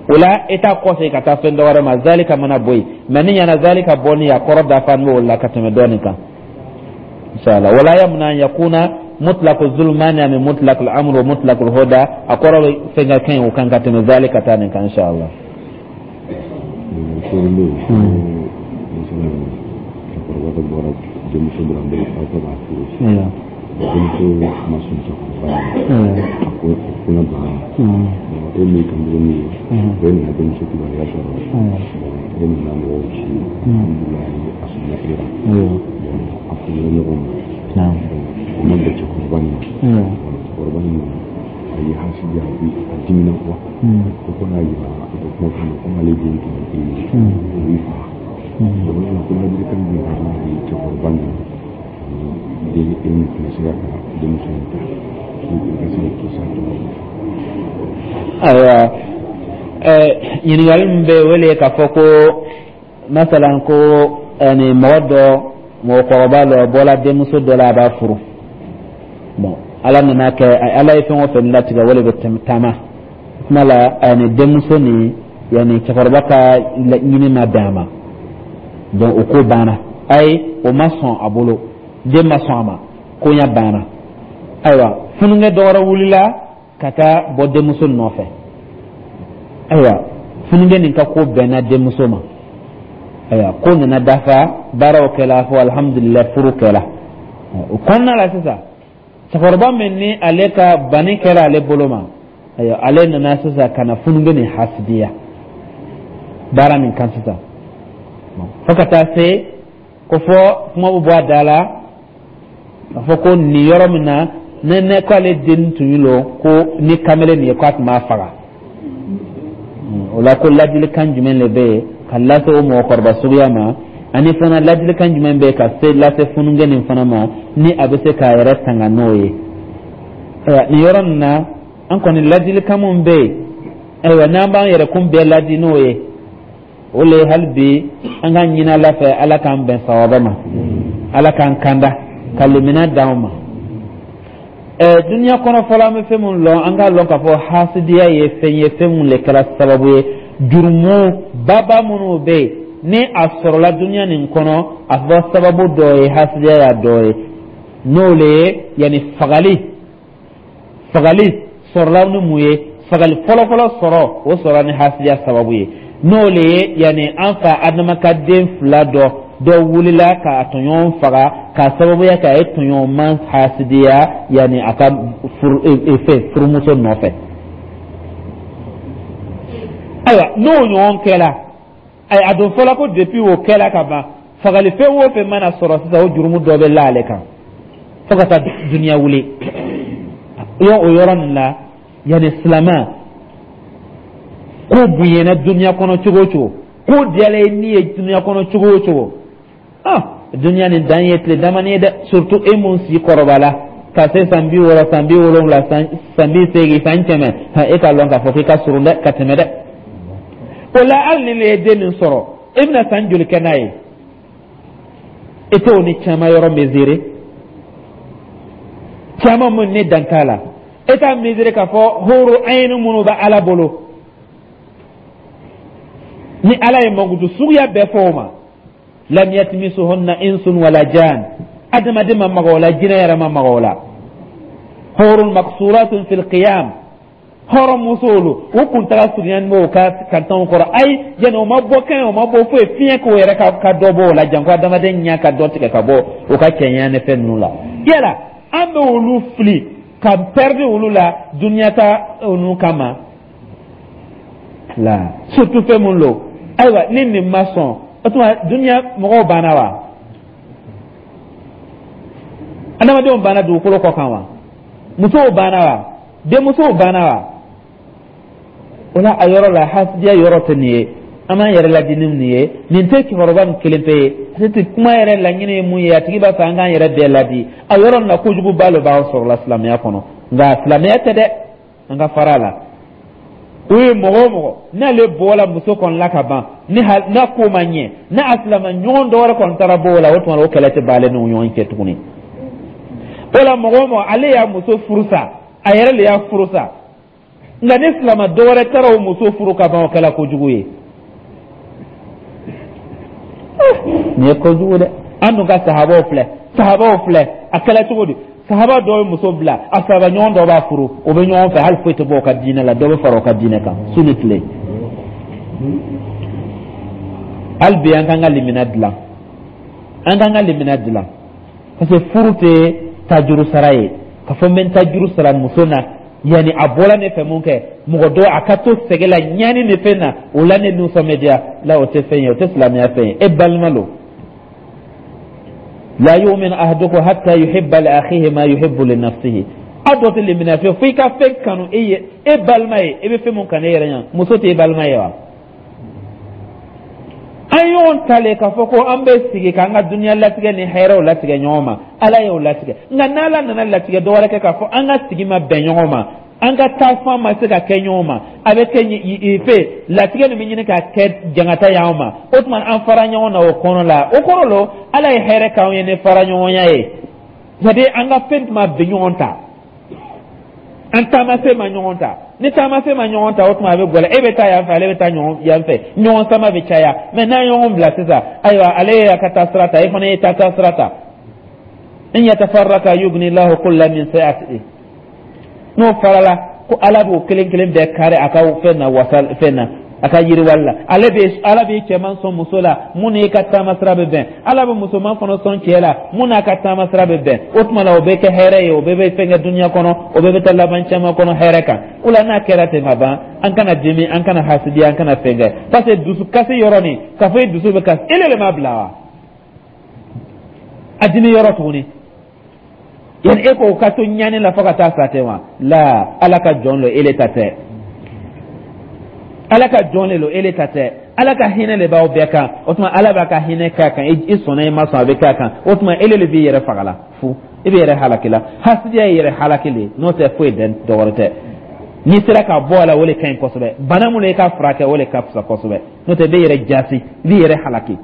[SPEAKER 1] O la e t'a kɔsegin ka taa fɛn dɔ wɛrɛ ma, zalika mana bɔ yen. Mɛ ni ɲana zalika bɔ ni a kɔrɔ dafa n'o la ka tɛmɛ dɔɔnin kan, inshallah. Wala yamna an yakuna mutlaq zulmani min mutlaq al-amr wa mutlaq al-huda, a kɔrɔ bɛ fɛn ka kɛ o kan ka tɛmɛ zalika ta nin kan, inshallah.
[SPEAKER 2] Cɛkɔrɔba dɔ bɔra denmuso dɔ la, aw ka b'a furu. Denmuso ma sɔn cɛkɔrɔba ye, a ko ko banna. E min ka mugu min ye, e nana denmuso kibaruya sɔrɔ, e nana mɔgɔw ci, alhamdulilayi, a sɔnna e la, a furula ɲɔgɔn ma. O ma bɛn cɛkɔrɔba nin ma. Cɛkɔrɔba nin a ye hasidiya, a dimina kuwa, ko ko n'a yira a ko kuma fɔ ko n'ale den tun ye e ye, o b'i faga. O la ko ladilikan jumɛn ka kan ka di cɛkɔrɔba nin den, e min fana sera ka denmuso in ta, i ka se ka kisi a tɔgɔ ma?
[SPEAKER 1] Ayiwa, ɲininkali min bɛ yen, o le ye k'a fɔ ko masalan ko ani mɔgɔ dɔ, mɔgɔkɔrɔba dɔ bɔla denmuso dɔ la, a b'a furu. Bon, Ala nana kɛ, Ala ye fɛn o fɛn latigɛ, o de bɛ taama. Kuma la ani denmuso nin Yani cɛkɔrɔba ka ɲini ma bɛn a ma, donc o ko banna. Ayi, o ma sɔn a bolo, den ma sɔn a ma, koɲa banna. Ayiwa, fununkɛ dɔ wɛrɛ wulila ka taa bɔ denmuso nɔfɛ. Ayiwa, fununkɛ nin ka ko bɛnna denmuso ma. Ayiwa, ko nana dafa, baaraw kɛla, fo alhamdulilayi, furu kɛla. O kɔnɔna la sisan, cɛkɔrɔba min ni ale ka banni kɛra ale bolo ma, ayiwa, ale nana sisan ka na fununkɛ nin hasidiya baara nin kan sisan, fo ka taa se ko fɔ kuma bɛ bɔ a da la k'a fɔ ko nin yɔrɔ min na, ne ne ko ale den tun ye lo ko ni kamalen nin ye, k'a tun b'a faga. O la, ko ladilikan jumɛn de bɛ yen ka lase o mɔgɔkɔrɔba suguya ma, ani fana ladilikan jumɛn bɛ yen ka se lase fununkɛ nin fana ma, ni a bɛ se k'a yɛrɛ tanga n'o ye? Ayiwa, nin yɔrɔ nin na, an kɔni ladilikan min bɛ yen, ayiwa, n'an b'an yɛrɛkun bɛɛ ladi n'o ye, o le ye hali bi an ka ɲini Ala fɛ, Ala k'an bɛn sawaba ma, Ala k'an kanda ka limina d'anw ma. Ɛɛ duniya kɔnɔ fɔlɔ, an bɛ fɛn min lɔn, an k'a lɔn k'a fɔ hasidiya ye fɛn ye, fɛn min le kɛra sababu ye jurumu baba minnu bɛ yen ni a sɔrɔla duniya nin kɔnɔ, a fɔ sababu dɔ ye hasidiya y'a dɔ ye, n'o le ye yanni fagali. Fagali sɔrɔla ni mun ye? Fagali fɔlɔfɔlɔ sɔrɔ, o sɔrɔla ni hasidiya sababu ye, n'o le ye yanni an fa Adama ka den fila dɔ dɔ wulila k'a tɔɲɔgɔn faga k'a sababuya kɛ a ye tɔɲɔgɔnman hasidiya, yanni a ka furu fɛn furumuso nɔfɛ. Ayiwa, n'o ɲɔgɔn kɛla, ayi, a don fɔla ko depuis o kɛla ka ban, fagalifɛn o fɛn mana sɔrɔ sisan, o jurumu dɔ bɛ la ale kan fo ka taa duniya wuli. Yɔn o yɔrɔ nin la, yanni silamɛ ko bonyana duniya kɔnɔ cogo o cogo, ko diyala i ni ye duniya kɔnɔ cogo o cogo, ah, duniya nin dan ye tile damani ye dɛ. Surtout e mun si kɔrɔbala ka se san bi wɔɔrɔ, san bi wolonwula, san bi seegin, san kɛmɛ, e k'a lɔn k'a fɔ k'i ka surun dɛ ka tɛmɛ dɛ. O la, hali ni ne ye den min sɔrɔ, e bɛna san joli kɛ n'a ye? E t'o ni caman yɔrɔ mesurer, caman mun ni dan t'a la. E t'a mesurer k'a fɔ horo ayini minnu bɛ Ala bolo, ni Ala ye mankutu suguya bɛɛ fɔ o ma, lam yatmisuhunna insun wala jan, adamaden ma maga o la, jinɛ yɛrɛ ma maga o la. Hurun maksuratun fil qiyam, hɔrɔn musowolu u kuntaga surunyani b'o ka kantanw kɔrɔ. Ayi, yanni o ma bɔ kɛnɛ, o ma bɔ foyi, fiɲɛ k'o yɛrɛ ka ka dɔ bɔ o la, janko adamaden ɲɛ ka dɔ tigɛ ka bɔ o ka cɛɲɛ ni fɛn ninnu la. Yala an bɛ olu fili ka pɛridi olu la duniya ta ninnu kama la, surtout fɛn mun lo. Ayiwa, ni nin ma sɔn, o tuma duniya mɔgɔw banna wa? Adamadenw banna dugukolo kɔ kan wa? Musow banna wa? Denmusow banna wa? O la, a yɔrɔ la, hasidiya yɔrɔ tɛ nin ye. An b'an yɛrɛ ladi ni nin ye. Nin tɛ cɛkɔrɔba nin kelen pe ye, tɛ kuma yɛrɛ laɲini ye mun ye, a tigi b'a fɛ an k'an yɛrɛ bɛɛ ladi a yɔrɔ nin na. Kojuguba lo b'aw sɔrɔ la silamɛya kɔnɔ, nka silamɛya tɛ dɛ, an ka fara a la. O ye mɔgɔ o mɔgɔ n'ale bɔra muso kɔni la ka ban, ni n'a ko ma ɲɛ, n'a a silama ɲɔgɔn dɔ wɛrɛ kɔni taara bɔ o la, o tuma o kɛlɛ tɛ ban ale n'u ɲɔgɔn cɛ tuguni. O la, mɔgɔ o mɔgɔ ale y'a muso furu sa, a yɛrɛ de y'a furu sa, nka ni silama dɔ wɛrɛ taara o muso furu ka ban, o kɛla kojugu ye. Nin ye kojugu dɛ. An dun ka sahabaw filɛ, sahabaw filɛ, a kɛla cogo di? Sahaba dɔw ye muso bila, a sahaba ɲɔgɔn dɔ b'a furu, o bɛ ɲɔgɔn fɛ, hali foyi tɛ bɔ o ka diinɛ la, dɔ bɛ fara o ka diinɛ kan su ni tile. Hali bi an k'an ka limina dilan, an k'an ka limina dilan, parce que furu tɛ tajuru sara ye k'a fɔ n bɛ n tajuru sara muso na, yanni a bɔra ne fɛ mun kɛ mɔgɔ dɔ a ka to sɛgɛ la ɲani ni fɛn na, o la ne nisɔn bɛ diya la. O tɛ fɛn ye, o tɛ silamɛya fɛn ye. E balima lo, la yu'min ahadukum hatta yuhibba li akhihi ma yuhibbu li nafsihi. Aw dɔ tɛ limaniya fiyewu fo i ka fɛn kanu e ye e balima ye, e bɛ fɛn mun kanu e yɛrɛ ɲɛ. Muso tɛ e balima ye wa? An ɲɔgɔn talen k'a fɔ ko an bɛ sigi k'an ka duniya latigɛ ni hɛrɛw latigɛ ɲɔgɔn ma, Ala y'o latigɛ. Nka n'Ala nana latigɛ dɔ wɛrɛ kɛ k'a fɔ an ka sigi ma bɛn ɲɔgɔn ma, an ka taafan ma se ka kɛ ɲɔgɔn ma, a bɛ kɛ fɛ latigɛ nin bɛ ɲini ka kɛ jangata y'anw ma, o tuma an fara ɲɔgɔn na o kɔnɔ la, o kɔrɔ lo Ala ye hɛrɛ k'anw ye ni fara ɲɔgɔnya ye. C'est à dire an ka fɛn tun ma bɛn ɲɔgɔn ta, an taamasen ma ɲɔgɔn ta. Ni taamasen ma ɲɔgɔn ta, o tuma a bɛ gɛlɛya. E bɛ taa yan fɛ, ale bɛ taa ɲɔgɔn yan fɛ, ɲɔgɔn sama bɛ caya. Mɛ n'a ye ɲɔgɔn bila sisan, ayiwa, ale y'a ka taa sira ta, e fana ye taa taa sira ta. In yatafarraka yugni lahu kulla min sa'ati. N'o farala ko Ala b'o kelen kelen bɛɛ kari a ka fɛn na, wasa fɛn na, a ka yiriwali la. Ale bɛ, Ala bɛ cɛman sɔn muso la mun n'i ka taama sira bɛ bɛn. Ala bɛ musoman fana sɔn cɛ la mun n'a ka taama sira bɛ bɛn. O tuma la, o bɛ kɛ hɛrɛ ye, o bɛɛ bɛ fɛn kɛ dunuya kɔnɔ, o bɛɛ bɛ taa laban caman kɔnɔ hɛrɛ kan. O la, n'a kɛra ten ka ban, an kana dimi, an kana hasidiya, an kana fɛn kɛ, parce que dusukasi yɔrɔ nin k'a fɔ e dusu bɛ kasi, e le m'a bila wa a dimi yɔrɔ tuguni. Yani e ko ka to ɲani la fo ka taa sa ten wa? La, Ala ka jɔn lo, ele ta tɛ. Ala ka jɔn le lo, ele ta tɛ. Ala ka hinɛ le b'aw bɛɛ kan. O tuma, Ala b'a ka hinɛ k'a kan, i sɔnna, i ma sɔn, a bɛ k'a kan. O tuma, ele le b'i yɛrɛ faga la fu, i b'i yɛrɛ halaki la. Hasidiya ye yɛrɛ halaki le, n'o tɛ foyi dɛ, dɔwɛrɛ tɛ. N'i sera ka bɔ a la, o le ka ɲi kosɛbɛ. Bana mun i ka furakɛ, o le ka fisa kosɛbɛ. N'o tɛ, i b'i yɛrɛ jasi, i b'i yɛrɛ halaki.